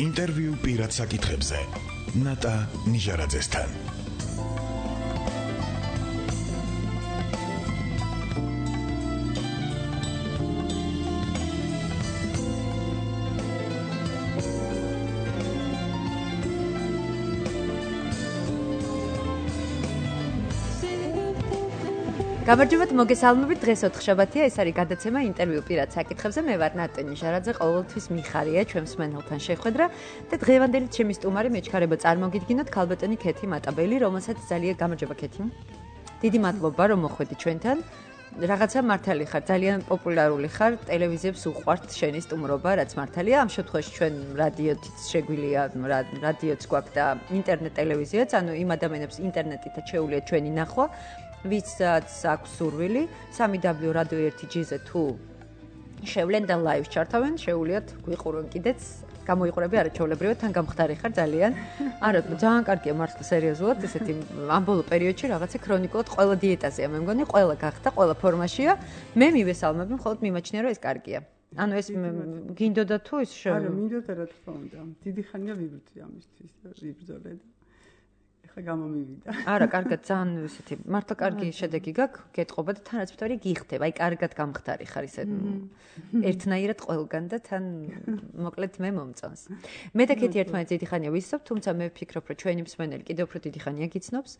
ინტერვიუ პირად საკითხებზე ნატა ნიჟარაძესთან. გამარჯობათ, მოგესალმებით. დღეს ოთხშაბათია, ეს არის გადაცემა ინტერვიუ პირად საკითხებზე. მე ვარ ნატა ნიჟარაძე, ყოველთვის მიხარია ჩვენს მენელთან შეხვედრა და დღევანდელი ჩემი სტუმარი მეჩქარება წარმოგიდგინოთ ქალბატონი ქეთი მატაბელი, რომელსაც ძალიან გამარჯობა ქეთი. დიდი მადლობა რომ მოხვედი ჩვენთან. რაღაცა მართალი ხარ, ძალიან პოპულარული ხარ, ტელევიზიებს უყვართ შენი სტუმრობა, რაც მართალია. ამ შემთხვევაში ჩვენ რადიოც შეგვიძლია, რადიოც გვაქვს და ინტერნეტ ტელევიზიაც, ანუ იმ ადამიანებს ინტერნეტითაც შეუძლიათ ჩვენი ნახვა. ვისაც აქვს სურვილი 3w.radio1.gz თუ შევლენ და ლაივს ჩართავენ, შეუძლიათ გვიყურონ კიდეც, გამოიყურები არაჩვეულებრივად, თან გამხდარი ხარ ძალიან. არა, ძალიან კარგია მართლა სერიოზულად, ესეთი ამ ბოლო პერიოდში რაღაცა ქრონიკულად ყველა დიეტაზეა, მე მგონი, ყველა გახდა, ყველა ფორმაშია. მე მივესალმები, მხოლოდ მიმაჩნია რომ ეს კარგია. ანუ ეს გინდოდა თუ ის არა, მინდოდა რა თქმა უნდა. დიდი ხანია ვიბრძვი ამისთვის, ვიბრძოლე და ხა გამომივიდა. არა, კარგად, ძალიან ისეთი, მართლა კარგი შედეგი გაქვს, გეტყობა და თანაც ვთქვი, გიხდება, აი კარგად გამხდარი ხარ ისე ერთნაირად ყველგან და თან მოკლედ მე მომწონს. მე და ქეთი ერთმანეთს დიდი ხანია ვისწავთ, თუმცა მე ვფიქრობ, რომ ჩვენი მსმენელი კიდევ უფრო დიდი ხანია გიცნობს,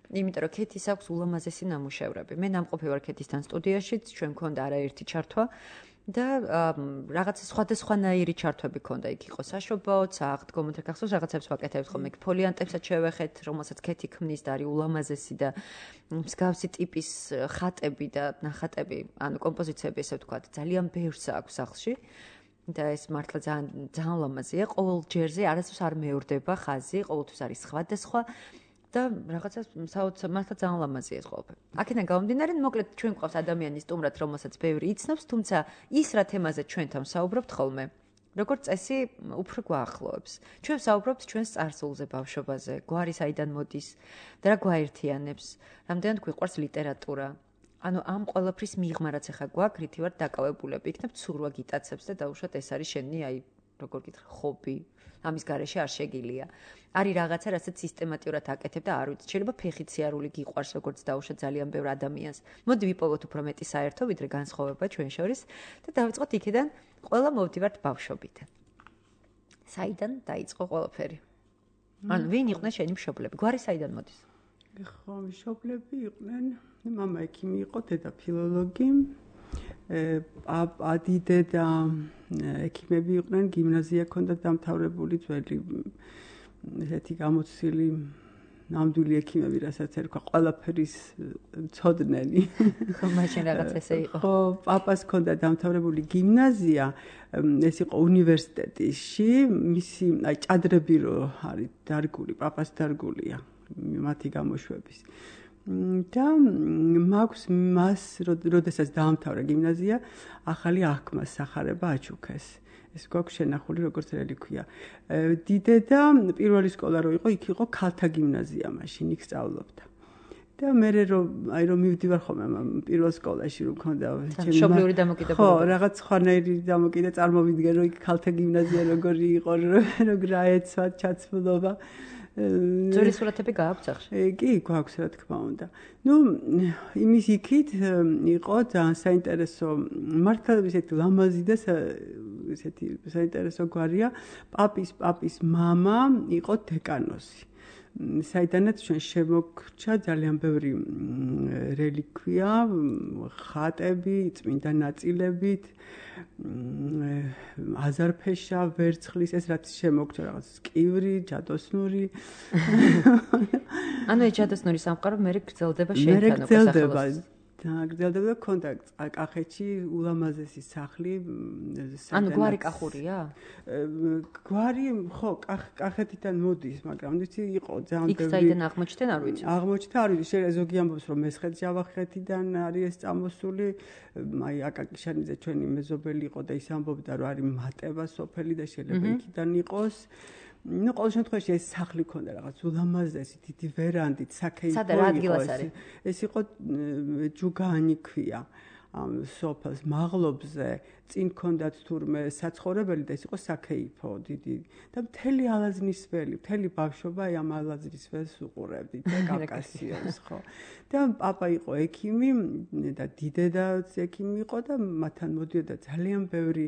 იმიტომ რომ ქეთის აქვს ულამაზესი ნამუშევრები. მე ნამყოფი ვარ ქეთისთან სტუდიაშიც, ჩვენ მქონდა არაერთი ჩართვა. და რაღაცა სხვადასხვანაირი ჩართვები ქონდა, იქ იყო საშობაოც, აღდგომოთ გახსოვს, რაღაცებს ვაკეთებთ ხოლმე, ფოლიანტებსაც შევეხეთ, რომელსაც ქეთი ქმნის და არის ულამაზესი და მსგავსი ტიპის ხატები და ნახატები, ანუ კომპოზიციები, ესე ვთქვათ, ძალიან ბევრს აქვს სახლში. და ეს მართლა ძალიან ულამაზია, ყოველ ჯერზე არასდროს არ მეორდება ხაზი, ყოველთვის არის სხვადასხვა. და რაღაცა მართლა ძალიან ლამაზია ეს ყველაფერი. აქედან გამომდინარე, მოკლედ ჩვენ გვყავს ადამიანის სტუმრად, რომელსაც ბევრი იცნობს, თუმცა ის რა თემაზე ჩვენთან საუბრობთ ხოლმე, როგორც წესი, უფრო გვაახლოებს. ჩვენ საუბრობთ ჩვენს წარსულზე, ბავშვობაზე, გვარი საიდან მოდის და რა გვაერთიანებს, რამდენად გვიყვარს ლიტერატურა. ანუ ამ ყველაფრის მიღმა რაც ახლა გვაქვს, რითი ვარ დაკავებულები, იქნებ ცურვა გიტაცებს და დაუშვათ ეს არის შენი, აი, როგორ გითხრა, ხობი. ამის გარეშე არ შეგილია. არის რაღაცა, რასაც სისტემატურად აკეთებ და არ ვიცი, შეიძლება ფეხით სიარული გიყვარს, როგორც დაუშვათ ძალიან ბევრ ადამიანს. მოდი ვიპოვოთ უფრო მეტი საერთო, ვიდრე განსხვავება ჩვენ შორის და დავიწყოთ იქიდან, ყველა მოვდივართ ბავშვობიდან. საიდან დაიწყო ყველაფერი? ანუ ვინ იყვნენ შენი მშობლები? გვარი საიდან მოდის? ხო, მშობლები იყვნენ, მამა ექიმი იყო, დედა ფილოლოგი. დედე და ექიმები იყვნენ, გიმნაზია ჰქონდა დამთავრებული, ძველი ესეთი გამოცდილი ნამდვილი ექიმები, რასაც ერქვა, ყველაფერის მცოდნელი. ხო, მაშინ რაღაც ესე იყო. ხო, პაპას ჰქონდა დამთავრებული გიმნაზია, ეს იყო უნივერსიტეტში, მისი აი ჭადრები რო არის დარგული, პაპას დარგულია, მათი გამოშვების. და მაქვს მას, როდესაც დაამთავრა გიმნაზია, ახალი აღქმას სახარება აჩუქეს. ეს გვაქვს შენახული, როგორც რელიქვია. დიდედა პირველი სკოლა რო იყო, იქ იყო ქალთა გიმნაზია მაშინ, იქ სწავლობდა. და მე რომ მივდივარ ხოლმე პირველ სკოლაში რომ მქონდა მშობლიური დამოკიდებულება. ხო, რაღაც სხვანაირი დამოკიდე წარმოვიდგენ, რომ იქ ქალთა გიმნაზია როგორი იყო, როგორ აეცვათ ჩაცმულობა. ძველი სურათები გააქვთ სახში? კი, გვაქვს რა თქმა უნდა. ნუ იმის იქით იყო ძალიან საინტერესო, მართლა ისეთი ლამაზი და ისეთი საინტერესო გვარია. პაპის მამა იყო დეკანოსი. საიდანაც ჩვენ შემოგრჩა ძალიან ბევრი რელიქვია, ხატები, წმინდა ნაწილებით, აზარფეშა, ვერცხლის, ეს რაც შემოგრჩა რაღაც კივრი, ჯადოსნური. ანუ ეს ჯადოსნური სამყარო მე გრძელდება შეიტანო გრძელდება. გრძელდება ქონდა კახეთში ულამაზესი სახლი. ანუ გვარი კახურია? გვარი ხო, კახეთიდან მოდის, მაგრამ იცი იყო ძალიან იქ საიდან აღმოჩნდნენ არ ვიცი. აღმოჩნდა არ ვიცი, ზოგი ამბობს რომ მესხეთ-ჯავახეთიდან არის ეს წამოსული, აი აკაკიშანიძე ჩვენი მეზობელი იყო და ის ამბობდა რომ არის მატება სოფელი და შეიძლება იქიდან იყოს. ნუ ყოველ შემთხვევაში ეს სახლი ქონდა რაღაც ულამაზესი დიდი ვერანდით, საქეითო იყო. სადა რა ადგილას არის? ეს იყო ჯუგაანი ქვია. ამ სოფელს მაღლობზე წინ ქონდათ თურმე საცხოვრებელი და ეს იყო საქეიფო დიდი და მთელი ალაზნის ველი, მთელი ბავშვობა ამ ალაზნის ველს უყურებდით და კავკასიონს ხო. და პაპა იყო ექიმი და დიდედაც ექიმი იყო და მათთან მოდიოდა ძალიან ბევრი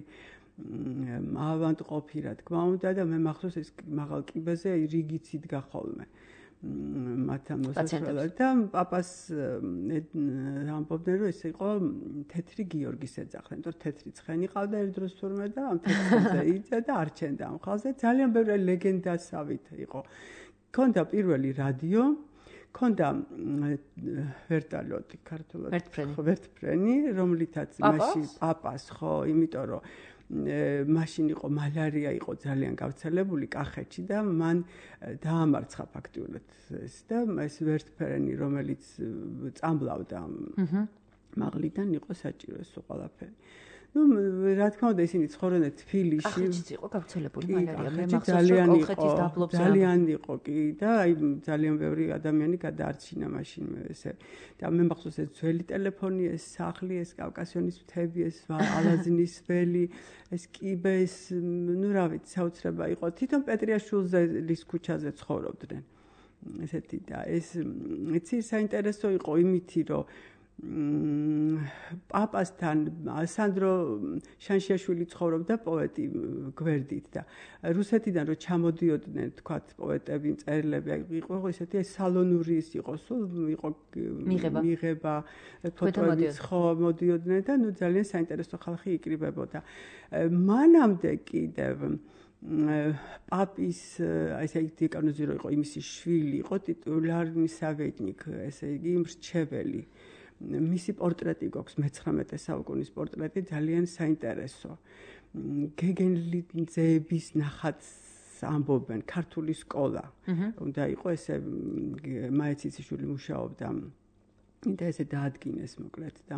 ავანტყოფი რა თქმა უნდა და მე მახსოვს ეს მაღალ კიბეზე რიგიც იდგა ხოლმე. მათთან მოსახლეობად და პაპას ამბობდნენ რომ ეს იყო თეთრი გიორგის ეძახდნენ, იმიტომ რომ თეთრი ცხენი ყავდა ერთ დროს თურმე და ამ თეთრზე იწა და არჩენდა ამ ხალხზე. ძალიან ბევრი ლეგენდასავით იყო. ქონდა პირველი რადიო, ქონდა ვერტალიოტი ქართულად, ვერტფრენი, რომლითაც მაშინ პაპას ხო, იმიტომ რომ მაშინ იყო მალარია იყო ძალიან გავრცელებული კახეთში და მან დაამარცხა ფაქტიურად ეს და ეს ვერტფრენი რომელიც წამბლავდა მაღლიდან იყო საჭირო ეს ყველაფერი. Ну, რა თქმა უნდა, ისინი ცხოვრობდნენ თბილისში. კახეთშიც იყო გავრცელებული მალარია. მე მახსოვს, რომ კოლხეთის დაბლობზე ძალიან იყო კი და აი ძალიან ბევრი ადამიანი გადაარჩინა მაშინ ესე. და მე მახსოვს ეს ძველი ტელეფონი, ეს სახლი, ეს კავკასიონის მთები, ეს ალაზნის ველი, ეს კიბე, ეს ну, რა ვიცი, საოცრება იყო. თვითონ პეტრიაშვილის ქუჩაზე ცხოვრობდნენ. ესეთი და ეს იცი საინტერესო იყო იმითი, რომ პაპასთან სანდრო შანშიაშვილი ცხოვრობდა პოეტი გვერდით და რუსეთიდან რო ჩამოდიოდნენ თქვათ პოეტები, მწერლები, იყო ესეთი სალონური ის იყო, სულ იყო მიღება ფოტოებიც ხო მოდიოდნენ და ნუ ძალიან საინტერესო ხალხი იკრიბებოდა. მანამდე კიდევ პაპის ესე იგი დეკანოზი რო იყო იმისი შვილი, იყო ტიტულარნი სავეტნიკ, ესე იგი მრჩეველი. მისი პორტრეტი გვაქვს მე-19 საუკუნის პორტრეტი ძალიან საინტერესო. გეგენლიძეების ნახატს ამბობენ ქართული სკოლა. უნდა იყო ესე მაეციციშვილი მუშაობდა და ესე დაადგინეს მოკლედ და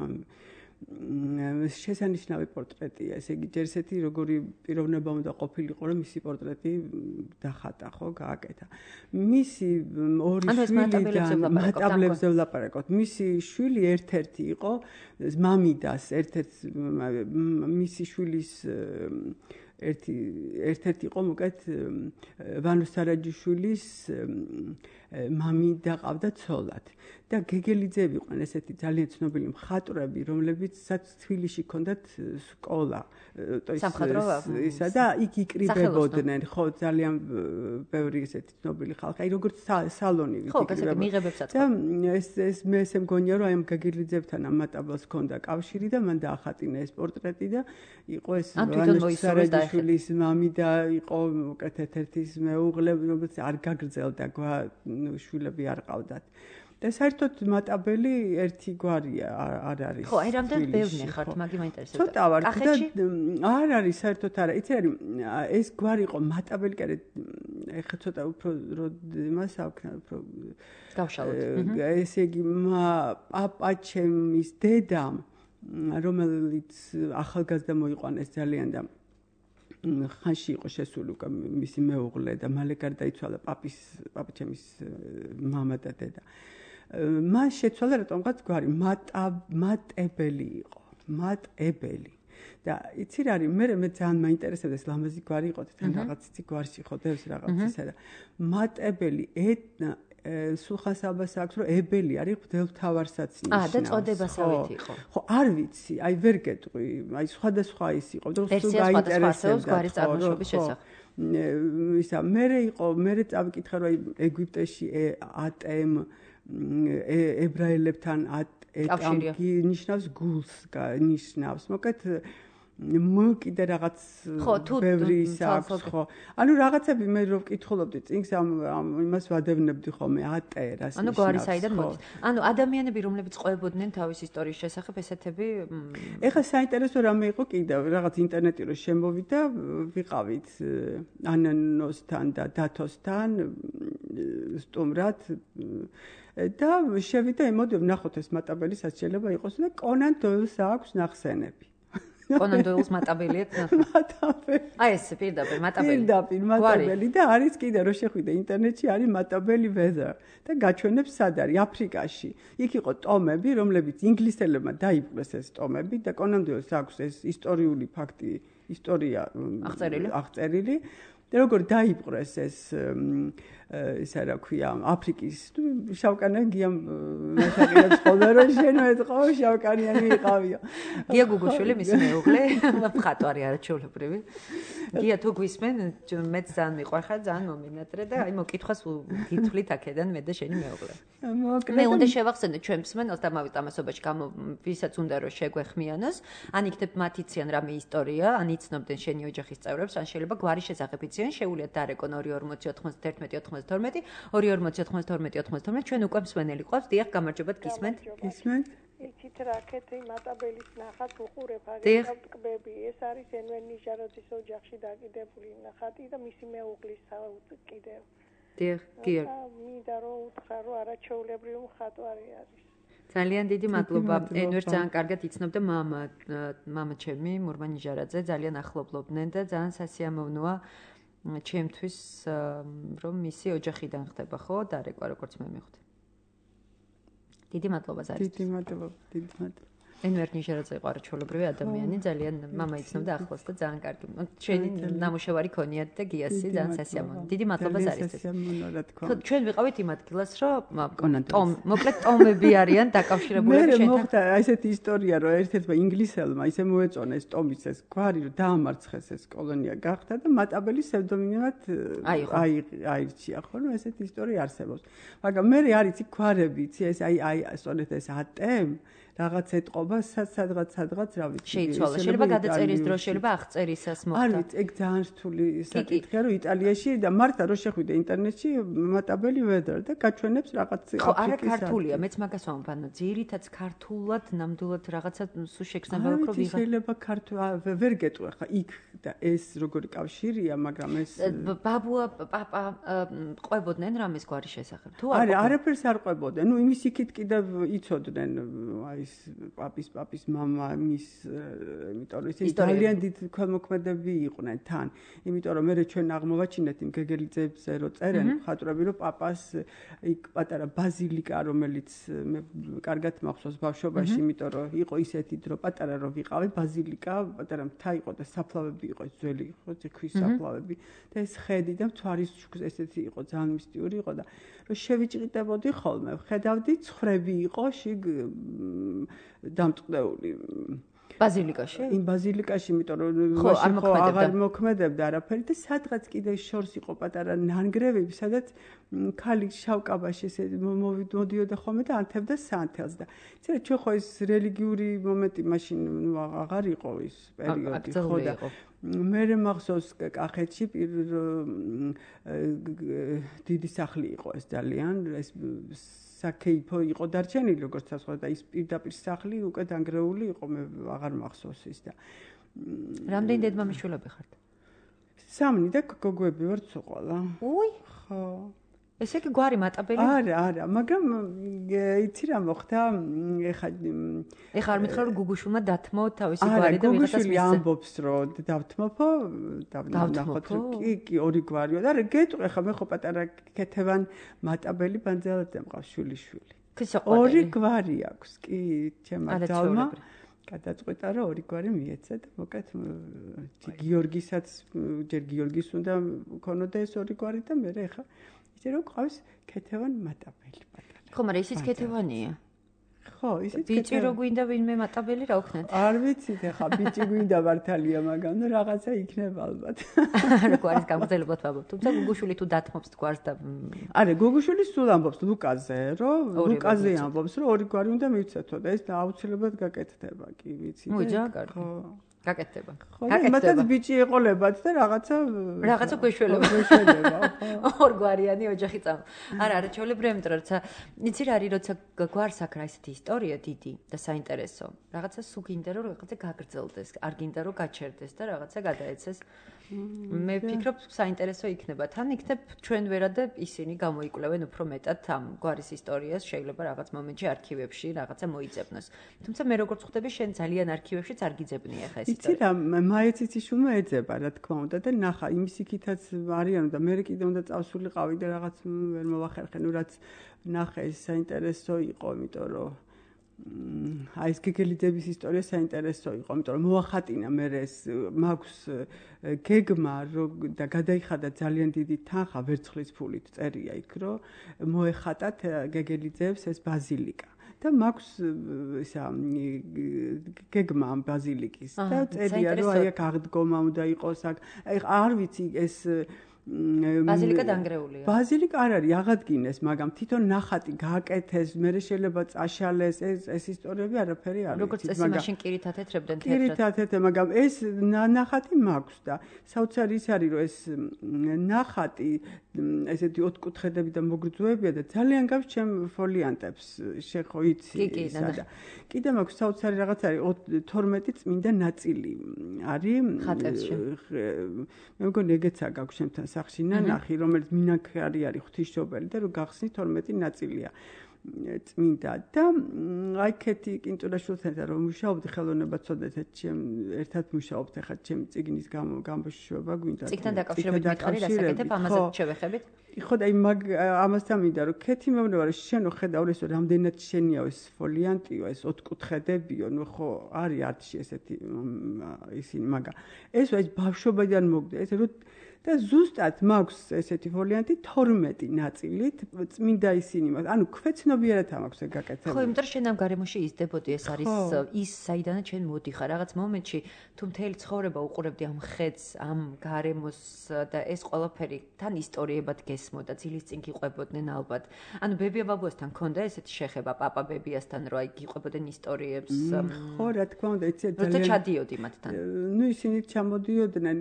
შესანიშნავი პორტრეტია. ესე იგი ჯერ ესეთი როგორი პიროვნება უნდა ყოფილიყო რომ მისი პორტრეტი დახატა ხო გააკეთა. მისი ორი შვილი მატაბლებზე ვლაპარაკობთ. მისი შვილი ერთ-ერთი იყო მამიდას ერთ-ერთი მისი შვილის ერთ-ერთი იყო მოკეთ ვანო სარაჯიშვილის მამიდა ყავდა ცოლად და გეგელიძეები იყვნენ ესეთი ძალიან ცნობილი მხატვრები, რომლებიც თბილისში ჰქონდათ სკოლა, ისა და იქ იკრიბებოდნენ, ხო, ძალიან ბევრი ესეთი ცნობილი ხალხი, აი როგორც სალონი იკრიბებოდა. და ეს მე ესე მგონია, რომ აი ამ გეგელიძეებთან ამ მატაბელს ჰქონდა კავშირი და მან დაახატინა ეს პორტრეტი და იყო ეს ვანო სარაჯიშვილის მამიდა, იყო მოკეთ ერთ-ერთის მეუღლე, რომელიც არ გაგრძელდა შვილები არ ყავდათ. და საერთოდ მატაბელი ერთი გვარია არ არის. ხო, აი რამდენად ბევრი ხართ, მაგი მაინტერესებს. ცოტა ვარ და არ არის საერთოდ არა. იცი არის ეს გვარი იყო მატაბელი, კერე ეხლა ცოტა უფრო იმას აქვს, უფრო გავშალოთ. ესე იგი პაპაჩემის დედამ, რომელიც ახალგაზრდა მოიყვანეს ძალიან და ხანში იყო შესული უკვე მისი მეუღლე და მალე გარდაიცვალა პაპაჩემის მამა და დედა. მან შეცვალა რატომღაც გვარი მატებელი იყო, მატებელი. და იცი რა არის, მე ძალიან მაინტერესებდა ეს ლამაზი გვარი იყო, თან რაღაც იცი გვარში ხო დევს რაღაც ისე და მატებელი სულხან-საბას აქვს, რომ ებელი არის ღვთელმთავარსაც ნიშნავს. და წოდებასავით იყო. ხო, არ ვიცი, აი ვერ გეტყვი, აი სხვადასხვა ის იყო და სულ გაინტერესებდა გვარის წარმოშობის შესახებ. ისა მე წავიკითხე რომ აი ეგვიპტეში ატემ ებრაელებთან ეტამკი ნიშნავს გულს, ნიშნავს. მოკეთ კიდე რაღაც ბევრი ის აქვს ხო. ანუ რაღაცები მე რო ვკითხულობდი წინს იმას ვადევნებდი ხოლმე ატე რას ნიშნავს. ანუ გვარი საიდან მოდის. ანუ ადამიანები რომლებიც ყვებოდნენ თავის ისტორიის შესახებ ესეთები ეხლა საინტერესო რამე იყო კიდევ რაღაც ინტერნეტი რო შემოვიდა ვიყავით ანანოსთან და დათოსთან სტუმრად და შევიდა იმოდი ვნახოთ ეს მატაბელი სად შეიძლება იყოს და კონან დოილს აქვს ნახსენები. კონან დოილს მატაბელი აქვს ნახე. მატაბელი. აი ეს პირდაპირ მატაბელი. პირდაპირ მატაბელი და არის კიდე რო შეხვიდე ინტერნეტში არის მატაბელი weather და გაჩვენებს სად არის აფრიკაში. იქ იყო ტომები, რომლებიც ინგლისელებმა დაიპყრეს ეს ტომები და კონან დოილს აქვს ეს ისტორიული ფაქტი, ისტორია აღწერილი. და როგორ დაიპყრეს ეს ისა რა ქვია აფრიკის შავკანიანია მასაკირებს ხოლმე რომ შენ მეტყო შავკანიანი იყავია. გია გუგუშვილი მისი მეუღლე მხატვარი არაჩვეულებრივი. გია თუ გვისმენ მეც ძალიან მიყვარხარ ძალიან მომინატრე და აი მოკითხვას გითვლით აქედან მე და შენი მეუღლე. მე უნდა შევახსენო ჩვენ მსმენელს და მავით ამასობაში ვისაც უნდა რომ შეგვეხმიანოს ან იქნებ მათ იციან რამე ისტორია ან იცნობდნენ შენი ოჯახის წევრებს ან შეიძლება გვარი შესახებ იციან შეუულიათ დარეკონ 240 91 92 240 92 ჩვენ უკვე მსმენელი ყავს დიახ გამარჯობათ გისმენთ იცით რაკეთი მატაბელის ნახატ უყურებ აგერ ტკბები ეს არის ენვენ ნიჟაროძის ოჯახში დაკიდებული ნახატი და მისი მეუღლის კიდევ დიახ გიორგი მინდა რომ უთხრა რომ არაჩვეულებრივი მხატვარი არის ძალიან დიდი მადლობა ენვერ ძალიან კარგად იცნობდა მამა ჩემი მურმა ნიჟარაძე ძალიან ახლობლობდნენ და ძალიან სასიამოვნოა ჩემთვის რომ მისი ოჯახიდან ხდება ხო დარეკვა როგორც მე მივხვდი დიდი მადლობა ზარისთვის დიდი მადლობა ენვერ ნიჟარაძე იყო არაჩვეულებრივი ადამიანი ძალიან მამა იცნობდა ახლოს და ძალიან კარგი ჩვენი ნამუშევარი ქონიათ და გიასი ძალიან სასიამოვნო დიდი მადლობა ზარისთვის ჩვენ ვიყავით იმ ადგილას რომ მოკლედ ტომები არიან დაკავშირებულები შენთან მე მოხდა ესეთი ისტორია რომ ერთ-ერთმა ინგლისელმა ისე მოეწონეს ტომის ეს გვარი რომ დაამარცხეს ეს კოლონია გახდა და მატაბელის ფსევდონიმად აირჩია ხო რომ ესეთი ისტორია არსებობს მაგრამ მე არის იქ გვარები იცი ეს აი სწორედ ეს ატემ რაღაც ეთყობა სადღაც რა ვიცი შეიცვალა შეიძლება გადაწერის დრო შეიძლება აღწერისას მოხდა არ ვიცი ეგ ძალიან რთული საკითხია რომ იტალიაში და მართლა რო შეხვიდე ინტერნეტში მატაბელი weather და გაჩვენებს რაღაც ხო არა ქართულია მეც მაგას ვამბობ ძირითადად ქართულად ნამდვილად რაღაცა სულ შექნება უფრო ვიღა შეიძლება ვერ გეტყვი ხა იქ და ეს როგორი კავშირია მაგრამ ეს ბაბუა პაპა ყვებოდნენ რამეს გვარი შესახებ თუ არა არაფერს არ ყვებოდნენ ნუ იმის იქით კიდევ იცოდნენ აი პაპის მამა მის იმიტომ რომ ის ძალიან დიდ ქველმოქმედები იყვნენ თან იმიტომ რომ მე ჩვენ აღმოვაჩინეთ იმ გეგელიძეებზე რო წერენ მხატვრები რომ პაპას იქ პატარა ბაზილიკა რომელიც მე კარგად მახსოვს ბავშვობაში იმიტომ რომ იყო ისეთი დრო პატარა რო ვიყავი ბაზილიკა პატარა მთა იყო და საფლავები იყო ძველი ხო ქვის საფლავები და ეს ხედი და მთვარის ესეთი იყო ძალიან მისტიური იყო და რომ შევიჭრიტებოდი ხოლმე ხედავდი ცხრები იყო შიგ დამწყდეული ბაზილიკაში? იმ ბაზილიკაში, იმიტომ რომ აღარ მოქმედებდა არაფერი და სადღაც კიდე შორს იყო პატარა ნანგრევები, სადაც ქალი შავკაბაში ესე მოდიოდა ხოლმე და ანთებდა სანთელს და იცი რა ჩვენ ხო ეს რელიგიური მომენტი მაშინ აღარ იყო ის პერიოდი ხო და მე მახსოვს კახეთში დიდი სახლი იყო ეს ძალიან ეს საკეიფო იყო დარჩენილი როგორც ასე და ის პირდაპირ სახლი უკვე დანგრეული იყო მე აღარ მახსოვს ის და რამდენი დედმამიშვილები ხართ? 3 და გოგოები ვართ სულ. უი ხო ესე იგი გვარი მატაბელი? არა, მაგრამ იცი რა მოხდა, ეხლა არ მითხრა რომ გუგუშვილმა დათმო თავისი გვარი და ვიღაცას მისცა. ამბობს რომ დავთმოფო, დავნახოთ კი ორი გვარია და რა გეტყვი ხა მე ხო პატარა ქეთევან მატაბელი ბანძელაძე მყავს შვილიშვილი. ორი გვარი აქვს, კი, ჩემმა ძალმა. გადაწყვეტა რომ ორი გვარი მიეცა და მოკლედ გიორგისაც ჯერ გიორგის უნდა ქონოდა ეს ორი გვარი და მე ეხა ისე რომ ყავს ქეთევან მატაბელი პატარა. ხო, მაგრამ ისიც ქეთევანია. ხო, ისიც ბიჭი რო გვინდა ვინმე მატაბელი რა ვქნათ? არ ვიცით ეხა ბიჭი გვინდა მართალია, მაგრამ ნუ რაღაცა იქნება ალბათ. არა, გვარის გამგზავრებლად ვამბობ. თუმცა გუგუშვილი თუ დათმობს გვარს და არა, გუგუშვილი სულ ამბობს ლუკაზე, რომ ლუკაზე ამბობს, რომ ორი გვარი უნდა მივცეთო და ეს აუცილებლად გაკეთდება, კი ვიცი. მოიჯა, კარგი. გაკეთდება. გაკეთდება. ბიჭი ეყოლებათ და რაღაცა გვეშველება. ორგვარიანი ოჯახი წამ. არა, არაჩვეულებრივია, იმიტომ რომ როცა იცი რა არის, როცა გვარს აქ რა ისეთი ისტორია დიდი და საინტერესო. რაღაცა სულ გინდა რომ რაღაცა გაგრძელდეს, არ გინდა რომ გაჩერდეს და რაღაცა გადაეცეს. მე ვფიქრობ, საინტერესო იქნება. თან იქნებ ჩვენ ვერადე ისინი გამოიკვლევენ უფრო მეტად ამ გვარის ისტორიას, შეიძლება რაღაც მომენტში არქივებში რაღაცა მოიძებნოს. თუმცა მე როგორც ხვდები, შენ ძალიან არქივებშიც არ გიძებნია ხა ეს ისტორია. იცი რა, მაეციციშვილმა ეძება, რა თქმა უნდა და ნახა, იმის იქითაც არიან და მე კიდე უნდა წავსულიყავი და რაღაც ვერ მოვახერხე, ნუ რაც ნახე ეს საინტერესო იყო, იმიტომ რომ აი ეს გეგელიძების ისტორია საინტერესო იყო, იმიტომ რომ მოახატინა მე ეს მაქვს გეგმა და გადაიხადა ძალიან დიდი თანხა ვერცხლის ფულით წერია იქ, რომ მოეხატათ გეგელიძეებს ეს ბაზილიკა. და მაქვს ისა გეგმა ამ ბაზილიკის და წერია რომ აი აქ აღდგომა უნდა იყოს აქ არ ვიცი ეს ბაზილიკა დანგრეულია. ბაზილიკა არ არის, აღადგინეს, მაგრამ თვითონ ნახატი გააკეთეს, მე შეიძლება წაშალეს, ეს ისტორიები არაფერი არ არის. როგორც წესი მაშინ კირით ათეთრებდნენ თეთრად. კირით ათეთრებდნენ, მაგრამ ეს ნახატი მაქვს და საოცარი ის არის, რომ ეს ნახატი ესეთი ოთხკუთხედები და მოგრძოებია და ძალიან გავს ჩემ ფოლიანტებს, შეხო იცი ისა და კიდე მაქვს საოცარი რაღაც არის 12 წმინდა ნაწილი არის ხატებში. მე მგონი ეგეცა გაქვს ჩემთან სახში ნანახი, რომელიც მინანქარი არის ღვთისმშობელი და რომ გახსნით 12 ნაწილია წმინდა და აი ქეთი კინტურაშვილთან რომ მუშაობდი ხელოვნებაცოდნეთა ერთად მუშაობთ ახლა ჩემი წიგნის გამოშვება გვინდა წიგნთან დაკავშირებით მითხარი რასაკეთებ ამაზე შევეხებით ხო და ამასთან მინდა რომ ქეთი მეუბნება რომ შენო ხედავ ეს რამდენად შენია ეს ფოლიანტიო ეს ოთხკუთხედებიო ნუ ხო არის არტში ესეთი ისინი მაგრამ ეს ბავშვობიდან მოგდა ეს რომ და ზუსტად მაქვს ესეთი ფოლიანტი 12 ნაწილით წმინდა ისინი მაქვს ანუ ქვეცნობიერად მაქვს ეგ გაკეთებული ხო იმიტომ რომ შენ ამ გარემოში იზრდებოდი ეს არის ის საიდანაც შენ მოდიხარ რაღაც მომენტში თუ მთელი ცხოვრება უყურებდი ამ ხედს ამ გარემოს და ეს ყველაფერი თან ისტორიებად გესმოდა ძილის წინ გიყვებოდნენ ალბათ ანუ ბებია ბაბუასთან ქონდა ესეთი შეხება პაპა ბებიასთან რომ აი გიყვებოდნენ ისტორიებს ხო რა თქმა უნდა იცი ძალიან ჩადიოდი მათთან ნუ ისინი ჩამოდიოდნენ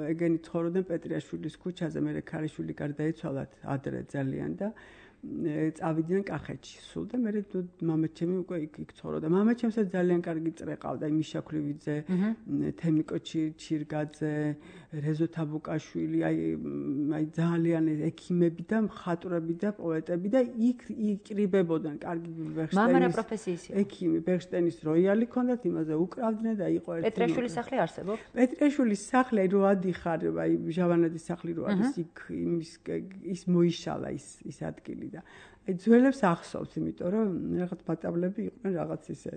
ეგენი ცხოვრობდნენ პეტრიაშვილის ქუჩაზე, მე ქალიშვილი გარდაიცვალათ ადრე ძალიან და წავიდნენ კახეთში სულ და მე მამაჩემი უკვე იქ ცხოვრობდა. მამაჩემსაც ძალიან კარგი წრე ყავდა, მიშა ქრივიძე, თემიკო ჩირგაძე, რეზო თაბუკაშვილი, აი ძალიან ექიმები და მხატვრები და პოეტები და იქ იკრიბებოდნენ კარგი ბერშტენის. მამა რა პროფესიის იყო? ექიმი, ბერშტენის როიალი ქონდათ, იმაზე უკრავდნენ და იყო ერთი. პეტრიაშვილის სახლი არსებობს? პეტრიაშვილის სახლი რო ადიხარ, აი ჟავანაძის სახლი რო არის იქ ის მოიშალა ის ადგილი და აი ძველებს ახსოვს, იმიტომ რომ რაღაც ბატაბლები იყვნენ რაღაც ისე.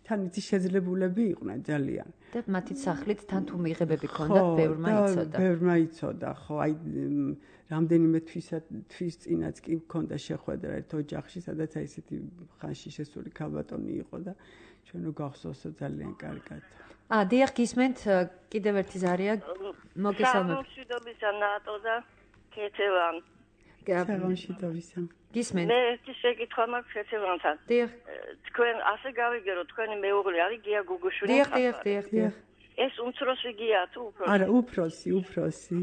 თან იცი შეძლებულები იყვნენ ძალიან. და მათი სახლით თან თუ მიიღებები ქონდათ, ბევრმა იცოდა. ბევრმა იცოდა, ხო, აი რამდენიმე თვის წინაც კი მქონდა შეხვედრა ერთ ოჯახში, სადაც აი ესეთი ხანში შესული ქალბატონი იყო და ჩვენო გახსოვსო ძალიან კარგად. დიახ, გისმენთ, კიდევ ერთი ზარია მოგესალმებით. გამშვიდობისა ნატო და ქეთევან. გამშვიდობისა. გისმენთ. მე ერთი შეკითხვა მაქვს ქეთევანთან. დიახ. თქვენ ასე გავიგერო, თქვენი მეუღლე არის გია გუგუშვილი? დიახ. ეს უმცროსი გია თუ უფროსი? არა, უფროსი. უფროსი?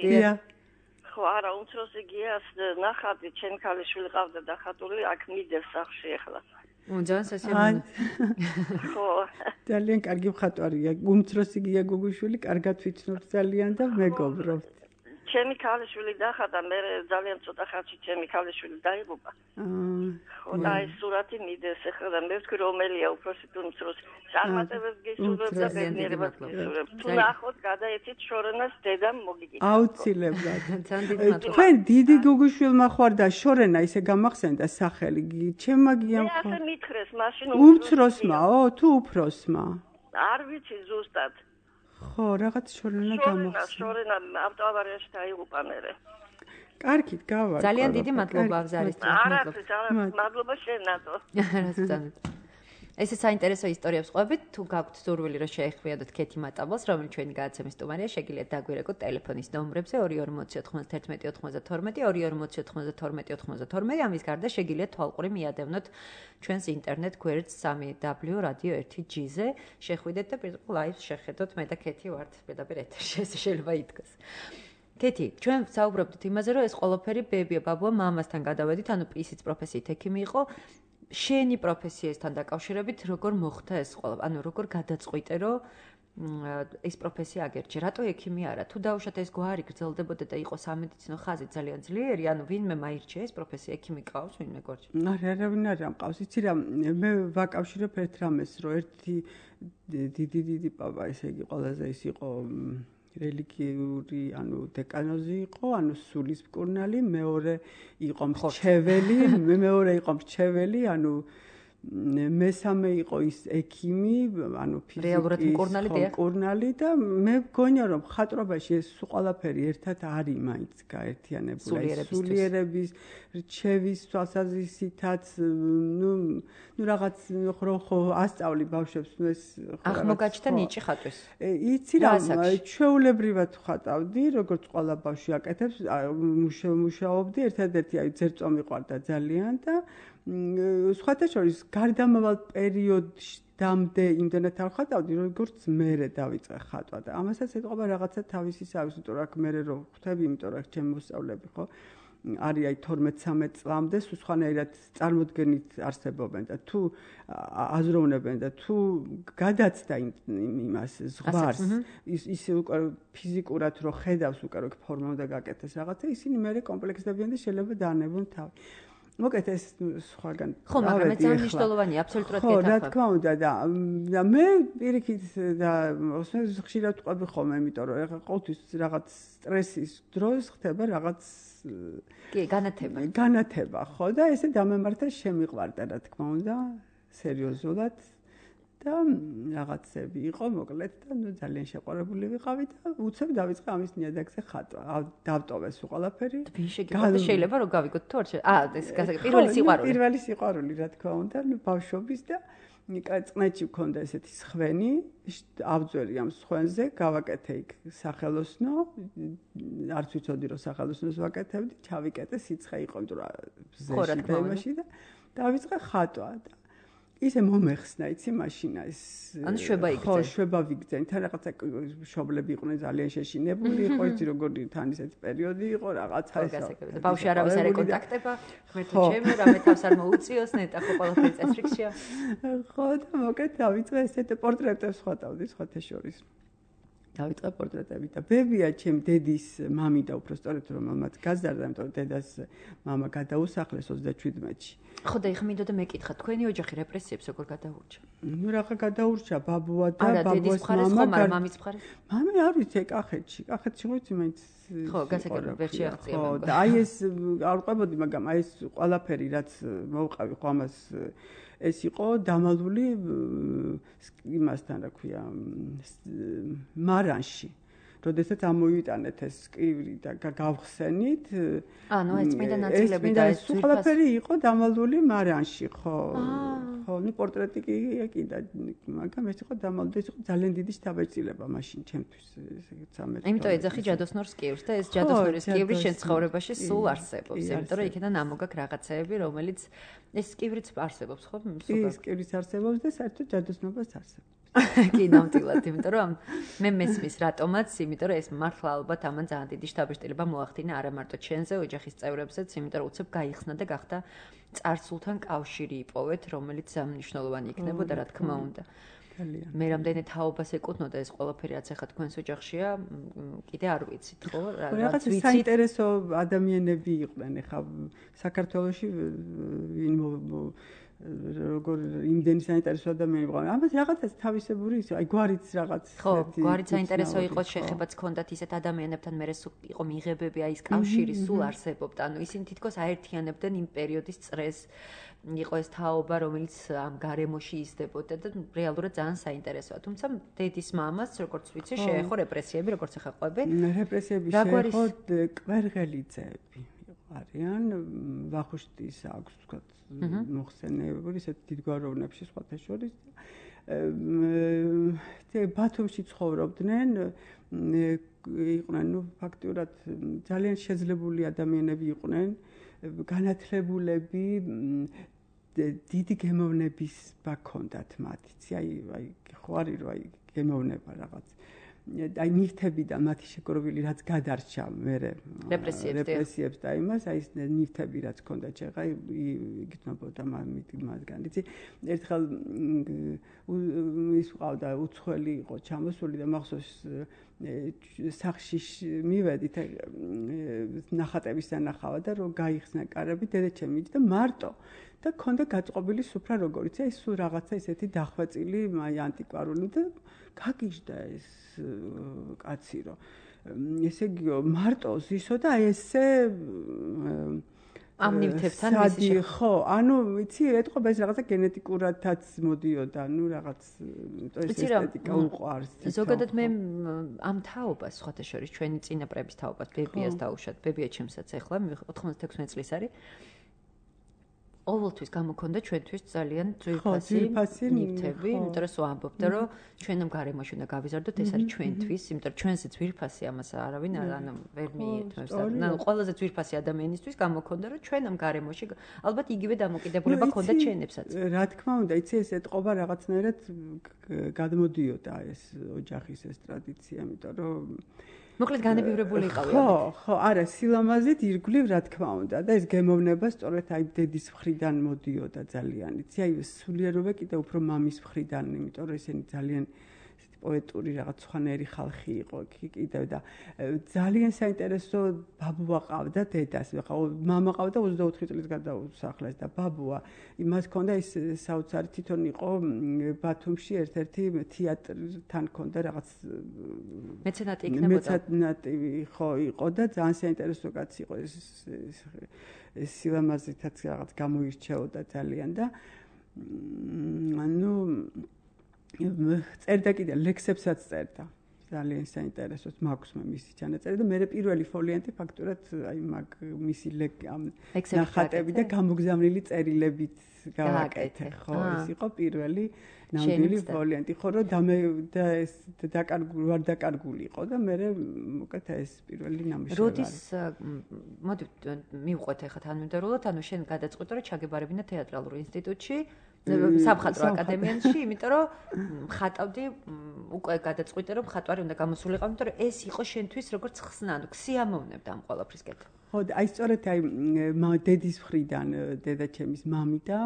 დიახ. ხო, არა, უმცროსი გიას ნახატი ჩემ ქალიშვილი ყავდა დახატული, აქ მიდევს სახში ახლა. ძალიან სასიამოვნო. ხო. ძალიან კარგი მხატვარია. უმცროსი გია გუგუშვილი, კარგად ვიცნობ ძალიან და მეგობრობთ. ჩემი ქალიშვილი დახატა, მე ძალიან ცოტა ხანში ჩემი ქალიშვილი დაიღუპა. ხო, და ეს სურათი მიდევს ახლა და მე ვთქვი რომელია უფროსი თუ უმცროსი. წარმატებებს გისურვებ და ბედნიერებას გისურვებ. თუ ნახოთ, გადაეცით შორენას დედამ მოგიგით. აუცილებლად. ძალიან დიდი მადლობა. თქვენ დიდი გუგუშვილმა ხوار და შორენა ისე გამახსენდა სახელი. ჩემმა გიამ ხო. მე ასე მითხრეს, მაშინ უმცროსმაო თუ უფროსმა? არ ვიცი ზუსტად. ხო, რაღაც შორენა გამახსენდა. შორენა ავტოავარიაში დაიღუპა მერე. კარგით, გავარ. ძალიან დიდი მადლობა ზარისთვის. მადლობა შენ ნატო. ესე საინტერესო ისტორიებს ყვებით, თუ გაქვთ სურვილი რომ შეეხმიოდოთ ქეთი მატაბელს, რომელიც ჩვენი გადაცემის სტუმარია, შეგიძლიათ დაგვირეკოთ ტელეფონის ნომრებზე 22409192 224092 ამის გარდა შეგიძლიათ თვალყური მიადევნოთ ჩვენს ინტერნეტ გვერდს 3w.radio1.g-ზე, შეხვიდეთ და პირდაპირ ლაივს შეხედოთ, მე და ქეთი ვართ პირდაპირ ეთერში, ესე შეიძლება ითქვას. ქეთი, ჩვენ საუბრობდით იმაზე, რომ ეს ყველაფერი ბებია ბაბუა მამასთან გადავედით, ანუ ისიც პროფესიით ექიმი იყო. შენი პროფესიასთან დაკავშირებით როგორ მოხდა ეს ყველა? ანუ როგორ გადაწყვიტე, რომ ეს პროფესია აგერჩი, რატო ექიმი არა? თუ დაუშვათ ეს გვარი გრძელდებოდა და იყო სამედიცინო ხაზი ძალიან ძლიერი, ანუ ვინმე მაირჩია ეს პროფესია, ექიმი ყავს, ვინმე გვარში? არავინ არ მყავს. იცი რა, მე ვაკავშირებ ერთ რამეს, რომ ერთი დიდი პაპა, ესე იგი, ყველაზე ის იყო რელიგიური, ანუ დეკანოზი იყო, ანუ სულის მკურნალი, მეორე იყო მრჩეველი, ანუ მესამე იყო ის ექიმი, ანუ ფიზიკის მკურნალი და მე მგონია რომ ხატრობაში ეს ყველაფერი ერთად არის მაინც გაერთიანებული. სულიერების, რჩევის თვალსაზრისითაც, ნუ რაღაც ხო ასწავლი ბავშვებს, ნუ ეს აღმოგაჩნდა ნიჭი ხატვის. იცი რა, ჩვეულებრივად ხატავდი, როგორც ყველა ბავშვი აკეთებს, მუშაობდი, ერთადერთი აი ძერწვა მიყვარდა ძალიან და სხვათა შორის გარდამავალ პერიოდამდე იმდენად არ ხატავდი, როგორც მერე დავიწყე ხატვა და ამასაც ეთყობა რაღაცა თავისი საქმე, იმიტომ რომ მერე რო ხვდები, იმიტომ რომ ჩემი მოსწავლეები ხო არის აი 12-13 წლამდე სხვანაირად წარმოდგენით არსებობენ და თუ აზროვნებენ და თუ გადაცდა იმას ზღვარს ის უკვე ფიზიკურად რო ხედავს უკვე რო ფორმა უნდა გაკეთდეს რაღაცა ისინი მერე კომპლექსდებიან და შეიძლება დაანებონ თავი. მოკეთ ეს სხვაგან. ხო, მაგრამ ეს ძალიან მნიშვნელოვანია, აბსოლუტურად გეთახმები. ხო, რა თქმა უნდა და მე პირიქით და ხშირად ვყვები ხოლმე, იმიტომ რომ ეხლა ყოველთვის რაღაც სტრესის დროს ხდება რაღაც განათება, ხო და ესე დამემართა შემიყვარდა, რა თქმა უნდა, სერიოზულად და რაღაცები იყო, მოკლედ და ნუ ძალიან შეყვარებული ვიყავი და უცებ დავიწყე ამის ნიადაგზე ხატვა. დავტოვეს ყველაფერი. შეიძლება რომ გავიგოთ თუ არ ეს პირველი სიყვარული, რა თქმა უნდა, ნუ ბავშვობის და წყნეთში მქონდა ესეთი სხვენი, ავძვერი ამ სხვენზე, გავაკეთე იქ სახელოსნო, არც ვიცოდი რომ სახელოსნოს ვაკეთებდი, ჩავიკეტე სიცხე იყო, იმიტომ რომ ზეში და იმაში და დავიწყე ხატვა და ისე მომეხსნა, იცი, მაშინა ეს ანუ შვება იგრძე. ხო, შვება ვიგძე. თან რაღაცა მშობლები იყვნენ ძალიან შეშინებული, იყო იცი როგორი თან ისეთი პერიოდი იყო, რაღაცა ეს. ბავშვი არავის არ ეკონტაქტება, ღმერთო ჩემი, რამე თავს არ მოუწიოს, ნეტა ხო ყველაფერი წესრიგშია. ხო, და მოკეთ დავიწყე ესეთ პორტრეტებს ხატავდი სხვათა შორის. დავიწყე პორტრეტები და ბებია ჩემ დედის მამი და უბრალოდ რომ მამაც გაზარდა, იმიტომ რომ დედას მამა გადაუსახლეს 37-ში. ხო და ეხლა მინდოდა მეკითხა, თქვენი ოჯახი რეპრესიებს როგორ გადაურჩა? ნუ რაღაცა გადაურჩა ბაბუა და ბაბუას მამა, მაგრამ მამის მხარეს? მამი არ ვიცი, კახეთში ვიცი მაინც. ხო, გასაგებია, ვერ შეაღწია. ხო, და აი ეს არ ყვებოდი, მაგრამ აი ეს ყველაფერი რაც მოვყავი ხო ამას ეს იყო დამალული იმასთან, რა ქვია, მარანში. როდესაც ამოიტანეთ ეს კივრი და გავხსენით. ანუ ეს წმინდა ნაწილები და ეს ყველაფერი იყო დამალული მარანში, ხო. ხო, ნუ პორტრეტი კი და მაგრამ ეს იყო დამალული, ეს იყო ძალიან დიდი შთაბეჭდილება მაშინ ჩემთვის, ესე 13. იმიტომ ეძახი ჯადოსნორს კივრს და ეს ჯადოსნორის კივრი შენ ცხოვრებაში სულ არსებობს, იმიტომ რომ იქიდან ამოგაქვს რაღაცეები, რომელიც ეს კივრიც არსებობს, ხო? ის კივრიც არსებობს და საერთოდ ჯადოსნობას არსებობს. კი, ნამდვილად, იმიტომ რომ მე მესმის რატომაც, იმიტომ რომ ეს მართლა ალბათ ამან ძალიან დიდი შთაბეჭდილება მოახდინა არა მარტო ჩენზე, ოჯახის წევრებზეც, იმიტომ რომ უცებ გაიხსნა და გახდა წარსულთან კავშირი იპოვეთ, რომელიც მნიშვნელოვანი იქნებოდა, რა თქმა უნდა. მე რამდენი თაობას ეკუთვნოდა ეს ყველაფერი, რაც ახლა თქვენს ოჯახშია, კიდე არ ვიცით, ხო? რაღაც საინტერესო ადამიანები იყვნენ, ახლა საქართველოში როგორ იმდენი საინტერესო ადამიანი იყო. ამას რაღაცას თავისებური ის, აი გვარიც რაღაც ხო, გვარიც საინტერესო იყო, შეხებაც ჰქონდათ ისეთ ადამიანებთან, მერე იყო მიღებები, აი ეს კავშირი სულ არსებობდა. ანუ ისინი თითქოს აერთიანებდნენ იმ პერიოდის წრეს. იყო ეს თაობა, რომელიც ამ გარემოში იზრდებოდა და რეალურად ძალიან საინტერესოა. თუმცა დედის მამას, როგორც ვიცი, შეეხო რეპრესიები, როგორც ახლა ყვები. რეპრესიები შეეხო კვერღელიძეები. არიან ვახუშტის აქვს თქვა მოხსენებული ისეთ დიდგვაროვნებში სხვათა შორის ბათუმში ცხოვრობდნენ იყვნენ ნუ ფაქტურად ძალიან შეძლებული ადამიანები იყვნენ განათლებულები დიდი გემოვნების ბაქონდათ მათ იცი აი ხო არის რომ აი გემოვნება რაღაც აი ნივთებიდან მათი შეგროვილი რაც გადარჩა მე რეპრესიებს და იმას აი ეს ნივთები რაც ჰქონდა ჩეხა იგრძნობოდა მათგან იცი ერთხელ ის ყავდა უცხოელი იყო ჩამოსული და მახსოვს სახში მივედით ნახატების დანახავა და რომ გაიხსნა კარები დედაჩემი და მარტო და ქონდა გაწყობილი სუფრა როგორიც აი სულ რაღაცა ისეთი დახვეწილი აი ანტიკვარული და გაგიჟდა ეს კაცი რომ ესე იგი მარტო ზისო და აი ესე ამ ნივთებთან მისი ხო ანუ ვიცი ეთყობა ეს რაღაცა გენეტიკურადაც მოდიოდა ნუ რაღაც ესთეტიკა უყვარს ზოგადად მე ამ თაობას სხვათა შორის ჩვენი წინაპრების თაობას ბებიას დაუშვათ ბებია ჩემსაც ახლა 96 წლის არის ყოველთვის გამოქონდა ჩვენთვის ძალიან ძვირფასი ნივთები, იმიტომ რომ სულ ამბობდა, რომ ჩვენამ გარემოში უნდა გავიზარდოთ, ეს არის ჩვენთვის, იმიტომ რომ ჩვენზე ძვირფასი ამას არავინ ანუ ვერ მიეთმევს. ანუ ყველაზე ძვირფასი ადამიანისთვის გამოქონდა, რომ ჩვენამ გარემოში ალბათ იგივე დამოკიდებულება ქონდა ჩვენებსაც. რა თქმა უნდა, იცი ეს ეთყობა რაღაცნაირად გადმოდიოდა ეს ოჯახის ეს ტრადიცია, იმიტომ რომ მოკლედ განებივრებული იყავი. ხო, არა, სილამაზით ირგვლივ რა თქმა უნდა და ეს გემოვნება სწორედ აი დედის მხრიდან მოდიოდა ძალიან. იცი, აი სულიერობა კიდე უფრო მამის მხრიდან, იმიტომ რომ ესენი ძალიან პოეტური რაღაც სხვანაირი ხალხი იყო კიდევ და ძალიან საინტერესო ბაბუა ყავდა დედას. ხა მამა ყავდა 24 წლის გადაუსახლეს და ბაბუა იმას ჰქონდა ის საოცარი თვითონ იყო ბათუმში ერთ-ერთი თეატრთან ჰქონდა რაღაც მეცენატი იქნებოდა. მეცენატი ხო იყო და ძალიან საინტერესო კაცი იყო ეს სილამაზითაც რაღაც გამოირჩეოდა ძალიან და ანუ წერდა კიდე ლექსებსაც წერდა. ძალიან საინტერესოს მაქვს მე მისი ჩანაწერი და მე პირველი ფოლიანტი ფაქტურად აი მაგ მისი ნახატები და გამოგზავნილი წერილებით გავაკეთე. ხო, ეს იყო პირველი ნამდვილი ფოლიანტი. ხო, რომ და ეს ვარ დაკარგული იყო და მე მოკეთა ეს პირველი ნამუშევარი. როდის მოდი მივყვეთ ახლა თანმიმდევრულად, ანუ შენ გადაწყვიტე რომ ჩაგებარებინა თეატრალურ ინსტიტუტში სამხატვრო აკადემიაში, იმიტომ რომ ხატავდი, უკვე გადაწყვიტე რომ ხატვარი უნდა გამოსულიყო, იმიტომ რომ ეს იყო შენთვის როგორც ხსნა, ანუ ქსიამოვნებდა ამ ყველაფრისკენ. ხო, აი სწორედ აი დედის მხრიდან, დედაჩემის მამი და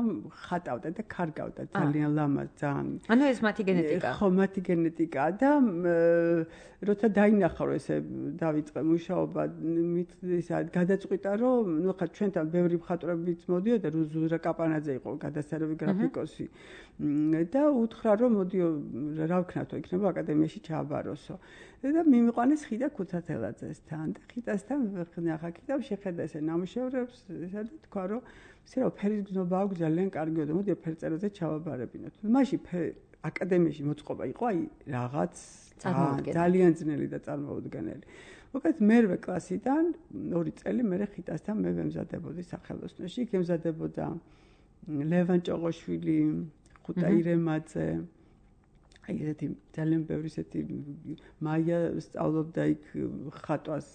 ხატავდა და კარგავდა ძალიან ლამაზ ძალიან. ანუ ეს მათი გენეტიკა. ხო, მათი გენეტიკა და როცა დაინახა რომ ესე დავიწყე მუშაობა, ისა გადაწყვიტა რომ ნუ ხა ჩვენთან ბევრი მხატვრებიც მოდიოდა, რუზურა კაპანაძე იყო გადასარევი გრაფიკოსი და უთხრა რომ მოდიო რა ვქნათო, იქნება აკადემიაში ჩააბაროსო. და მიმიყვანეს ხიდა ქუთათელაძესთან და ხიდასთან ხნახა კიდევ შეხედა ესე ნამუშევრებს ესა და თქვა რომ ისე რომ ფერის გზნობა აქვს ძალიან კარგია და მოდი ფერწერაზე ჩავაბარებინოთ. მაშინ აკადემიაში მოწყობა იყო აი რაღაც ძალიან ძნელი და წარმოუდგენელი. მოკლედ მერვე კლასიდან 2 წელი მე ხიდასთან მე ვემზადებოდი სახელოსნოში, იქ ემზადებოდა ლევან ჭოღოშვილი, ხუტაი რემაძე აი ესეთი ძალიან ბევრი ესეთი მაია სწავლობდა იქ ხატვას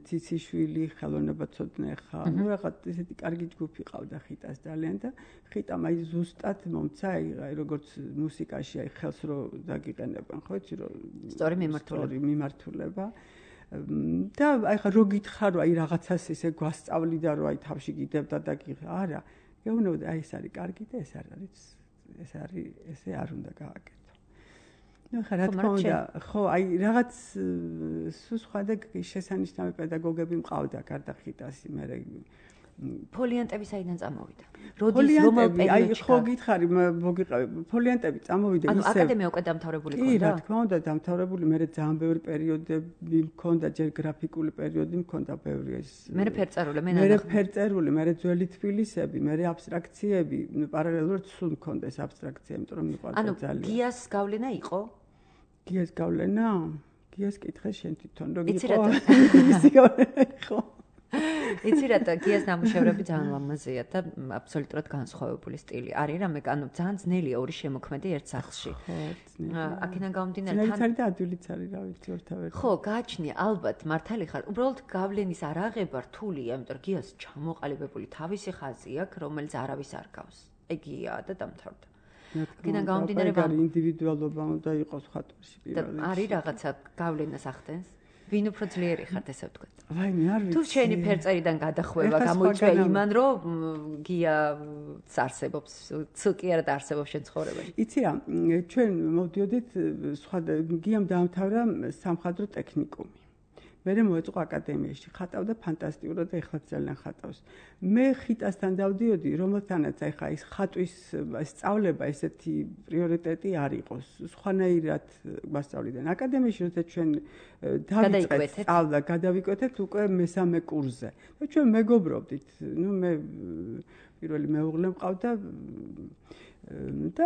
ციციშვილი ხელოვნება ცოდნეხა ну რაღაც ესეთი კარგი ჯგუფი ყავდა ხიტას ძალიან და ხიტამ აი ზუსტად მომცა აი როგორც მუსიკაში აი ხელს რო დაგიყენებენ ხო იცი რომ სწორი მიმართულება და აი ხა რო გითხარო აი რაღაცას ესე გვასწავლიდა რომ აი თავში გიდებდა და არა გეუბნებოდი აი ეს არის კარგი და ეს არ არის ესე არ უნდა გააკეთო. ნუ ხა რა თქმა უნდა, ხო, აი რაღაც სულ სხვა და შესანიშნავი პედაგოგები მყავდა გარდა ხიტასი, მე ფოლიანტები საიდან წამოვიდა? რომელ პერიოდში? აი ხო გითხარი, მოგიყავი, ფოლიანტები წამოვიდა ისე. ანუ აკადემია უკვე დამთავრებული ქონდა? კი, რა თქმა უნდა, დამთავრებული, მე ძალიან ბევრი პერიოდები მქონდა, ჯერ გრაფიკული პერიოდი მქონდა ბევრი ეს. მე ფერწერული, მე ფერწერული, მე ძველი თბილისები, მე აბსტრაქციები, პარალელურად სულ მქონდა ეს აბსტრაქცია, იმიტომ რომ მიყვარდა ძალიან. ანუ გიას გავლენა იყო? გიას გავლენა? გიას კითხე შენ თვითონ, რომ იყო. იცი გავლენა იყო. იცი რატო გიას ნამუშევრები ძალიან ლამაზია და აბსოლუტურად განსხვავებული სტილი. არის რამე, ანუ ძალიან ძნელია ორი შემოქმედი ერთ სახლში. აქედან გამომდინარე თან და ადვილიც არის, რა ვიცი, ერთავერტი. ხო, გააჩნია, ალბათ, მართალი ხარ. უბრალოდ გავლენის არაღება რთულია, იმიტომ რომ გიას ჩამოყალიბებული თავისი ხაზი აქვს, რომელიც არავის არ გავს. ეგია და დამთავრდა. კიდან გამომდინარე ინდივიდუალობა უნდა იყოს ხატვაში პირველ რიგში. არის რაღაცა გავლენას ახდენს? ვინ უფრო ძლიერი ხართ ესე ვთქვათ? ვაიმე, არ ვიცი. თუ შენი ფერწერიდან გადახვევა გამოიწვია იმან, რომ გია არსებობს, ცუკი არა არსებობს შენ ცხოვრებაში. იცი რა, ჩვენ მოვდიოდით სხვა გიამ დაამთავრა სამხატვრო ტექნიკუმი. მე მოეწყო აკადემიაში, ხატავდა ფანტასტიკურად და ეხლა ძალიან ხატავს. მე ხიტასთან დავდიოდი, რომელთანაც ეხლა ის ხატვის სწავლება ესეთი პრიორიტეტი არ იყოს. სხვანაირად გვასწავლიდან. აკადემიაში როცა ჩვენ დავიწყეთ სწავლა, გადავიკვეთეთ უკვე მესამე კურსზე. და ჩვენ მეგობრობდით. მე პირველი მეუღლე მყავდა და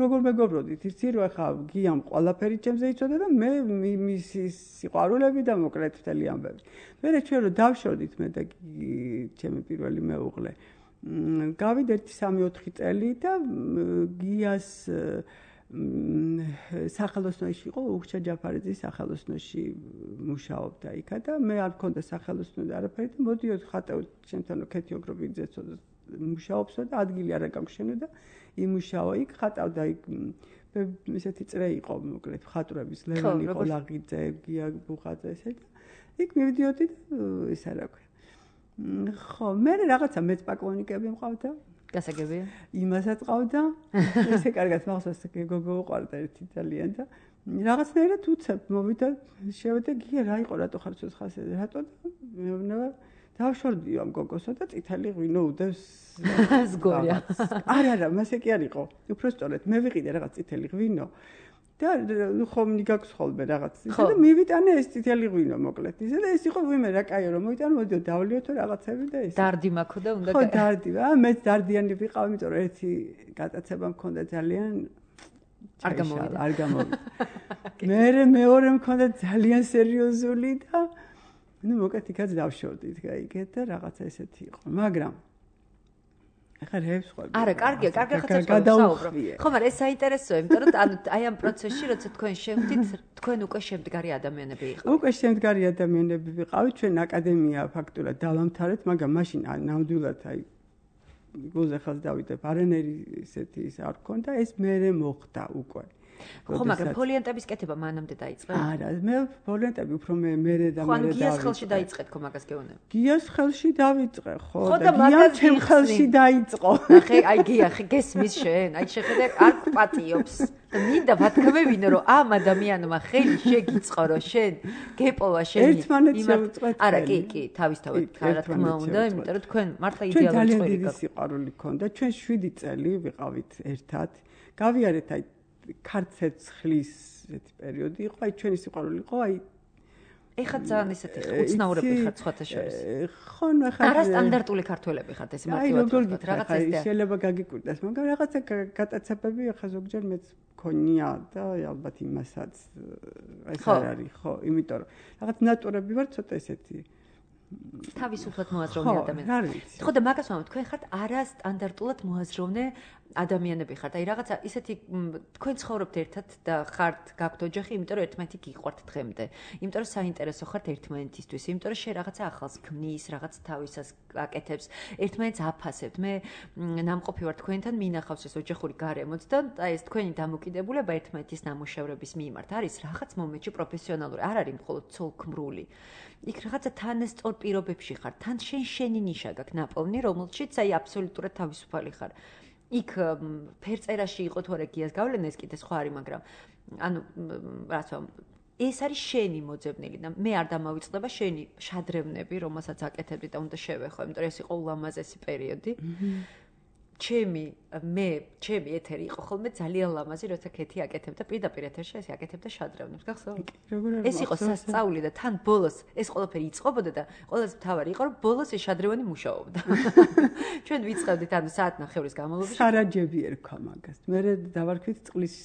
როგორ მეგობრობდით, იცი რომ ახლა გიამ ყველაფერი ჩემზე იცოდა და მე მისი სიყვარულები და მოკლედ მთელი ამბები. მერე ჩვენ რომ დავშორდით მე და ჩემი პირველი მეუღლე. გავიდა 1-3-4 წელი და გიას სახელოსნოში იყო, უხჩა ჯაფარიძის სახელოსნოში მუშაობდა იქა და მე არ მქონდა სახელოსნო და არაფერი და მოდიოდ ხატავ ჩემთან ქეთი ოგრობიძეც მუშაობსო და ადგილი არა გაგვშენო და იმუშაო იქ ხატავდა იქ ესეთი წრე იყო მოკლედ ხატრების ლევანი ყოლაღიძე გია ბუხაძე ესე და იქ მივდიოდი და ის არა ქვია ხო მე რაღაცა მეც პაკონიკები მყავდა გასაგებია იმასაც ყავდა ესე კარგად მახსოვს გოგო უყვარდა ერთი ძალიან და რაღაცნაირად უცებ მოვიდა შევედა გია რა იყო რატო ხარ ცოცხალ რატო მეუბნება დავშორდი ამ გოგოსო და წითელი ღვინო უდევს ზგორია არა მასე კი არ იყო უფრო სწორედ მე ვიყიდე რაღაც წითელი ღვინო და ხომ ნიგაქვს ხოლმე რაღაც ისე და მივიტანე ეს წითელი ღვინო მოკლედ ისე და ეს იყო ვიმე რა კაიო რომ მოვიტანე მოდიო დავლიოთო რაღაცები და ეს დარდი მაქვს და უნდა ხო დარდი მეც დარდიანი ვიყავ იმიტომ რომ ერთი გატაცება მქონდა ძალიან არ გამოვიდა მე მეორე მქონდა ძალიან სერიოზული და ну მოკლედ იქაც დავშორდით გაიგეთ და რაღაცა ესეთი იყო მაგრამ ახლა რევს ხოლმე არა კარგია ხაცა გადაუხვიე ხო მაგრამ ეს საინტერესოა იმიტომ რომ ანუ აი ამ პროცესში როცა თქვენ შევდით თქვენ უკვე შემდგარი ადამიანები იყავით უკვე შემდგარი ადამიანები ვიყავით ჩვენ აკადემია ფაქტურად დავამთავრეთ მაგრამ მაშინ ნამდვილად აი გულზეხას დავიდებ არანერი ესეთი ის არ ქონდა ეს მერე მოხდა უკვე ხო მაგრამ ფოლიანტების კეთება მანამდე დაიწყე? არა, მე ფოლიანტები უფრო მერე და მერე დავიწყე. ხო, გიას ხელში დაიწყეთ ხო მაგას გეუბნები? გიას ხელში დავიწყე, ხო და გიამ ჩემ ხელში დაიწყო. ნახე, აი გია, გესმის შენ, აი შეხედე არ პატიობს. და მინდა ვათქმევინო რომ ამ ადამიანმა ხელი შეგიწყო რომ შენ გეპოვა შენი ერთმანეთს შევუწყეთ. არა, კი, თავისთავად, რა თქმა უნდა, იმიტომ რომ თქვენ მართლა იდეალური წვერი გქონდა. ჩვენ ძალიან დიდი სიყვარული ქონდა. ჩვენ 7 წელი ვიყავით ერთად. გავიარეთ აი ქარცეცხლის ესეთი პერიოდი იყო, აი ჩვენი სიყვარული იყო, აი ეხლა ძალიან ესეთი უცნაურები ხართ სხვათა შორის. ხო, ნუ ეხლა არა სტანდარტული ქართველები ხართ ეს მარტივად რაღაცა ეს შეიძლება გაგიკვირდეს, მაგრამ რაღაცა გატაცებები ეხლა ზოგჯერ მეც მქონია და ალბათ იმასაც ეს არ არის, ხო, იმიტომ რომ რაღაც ნატურები ვარ ცოტა ესეთი თავისუფლად მოაზროვნე ადამიანები. ხო და მაგას ვამბობ, თქვენ ხართ არასტანდარტულად მოაზროვნე ადამიანები ხართ. აი რაღაცა ისეთი თქვენ ცხოვრობთ ერთად და ხართ გაქვთ ოჯახი, იმიტომ რომ ერთმანეთი გიყვართ დღემდე. იმიტომ რომ საინტერესო ხართ ერთმანეთისთვის, იმიტომ რომ შენ რაღაცა ახალს ქმნის, რაღაც თავისას აკეთებს, ერთმანეთს აფასებთ. მე ნამყოფი ვარ თქვენთან, მინახავს ეს ოჯახური გარემოც და აი ეს თქვენი დამოკიდებულება ერთმანეთის ნამუშევრების მიმართ არის რაღაც მომენტში პროფესიონალური, არ არის მხოლოდ ცოლქმრული. იქ რაღაცა თანასწორ პირობებში ხარ, თან შენი ნიშა გაქვს ნაპოვნი, რომელშიც აი აბსოლუტურად თავისუფალი ხარ. იქ ფერწერაში იყო თუ არა გიას გავლენა ეს კიდე სხვა არის, მაგრამ ანუ რაც ვამბობ, ეს არის შენი მოძებნილი და მე არ დამავიწყდება შენი შადრევნები, რომელსაც აკეთებდი და უნდა შევეხო, იმიტომ რომ ეს იყო ულამაზესი პერიოდი. ჩემი ეთერი იყო ხოლმე ძალიან ლამაზი, როცა ქეთი აკეთებდა პირდაპირ ეთერში, ეს აკეთებდა შადრევნებს, გახსოვთ? ეს იყო სასწაული და თან ბოლოს ეს ყველაფერი იწყებოდა და ყველაზე მთავარი იყო, რომ ბოლოს ეს შადრევანი მუშაობდა. ჩვენ ვიწყებდით ანუ საათნახევრის განმავლობაში. სარაჯები ერქვა მაგას. მე დავარქვით წყლის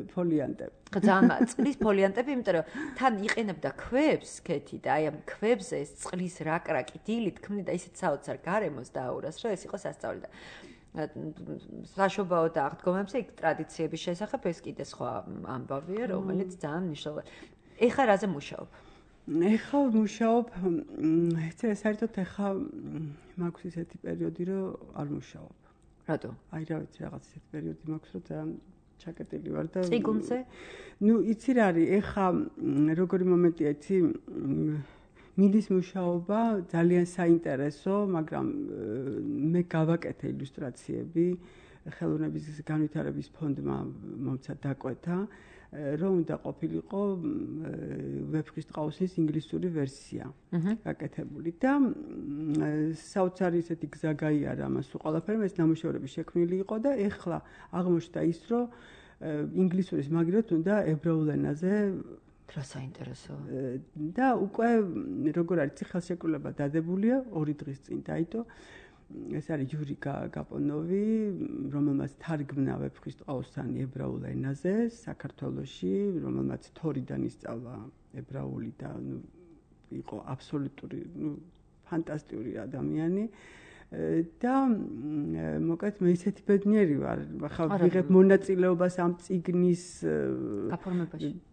ფოლიანტები. ძალიან წყლის ფოლიანტები, იმიტომ რომ თან იყენებდა ქვებს ქეთი და აი ამ ქვებზე ეს წყლის რაკრაკი დილით ქმნიდა ისეთ საოცარ გარემოს დააურას, რომ ეს იყო სასწაული და საშობაო და აღდგომებზე იქ ტრადიციების შესახებ ეს კიდე სხვა ამბავია, რომელიც ძალიან მნიშვნელოვანი. ეხლა რაზე მუშაობ? ეხლა მუშაობ, საერთოდ ეხლა მაქვს ისეთი პერიოდი, რომ არ მუშაობ. რატო? აი რა ვიცი, რაღაც ისეთი პერიოდი მაქვს, რომ ძალიან ჩაკეტილი ვარ და წიგუნზე? ნუ იცი რა არის, ეხა როგორი მომენტია, იცი მიდის მუშაობა ძალიან საინტერესო, მაგრამ მე გავაკეთე ილუსტრაციები, ხელოვნების განვითარების ფონდმა მომცა დაკვეთა, რომ უნდა ყოფილიყო ვეფხისტ ყაუსის ინგლისური ვერსია გაკეთებული და საოცარი ესეთი გზა გაიარა ამას უყალაფერმა, ეს ნამუშევრები შექმნილი იყო და ეხლა აღმოჩნდა ის, რომ ინგლისურის მაგივრად უნდა ებრაულ ენაზე რა საინტერესო. და უკვე როგორ არის ხელშეკრულება დადებულია 2 დღის წინ დაიდო. ეს არის ჯური გაპონოვი, რომელმაც თარგმნა ვეფხისტ ყაუსანი ებრაულ ენაზე საქართველოში, რომელმაც თორიდან ისწავლა ებრაული და იყო აბსოლუტური, ფანტასტიკური ადამიანი. და მოკლედ მე ისეთი ბედნიერი ვარ, ახლა ვიღებ მონაწილეობას ამ წიგნის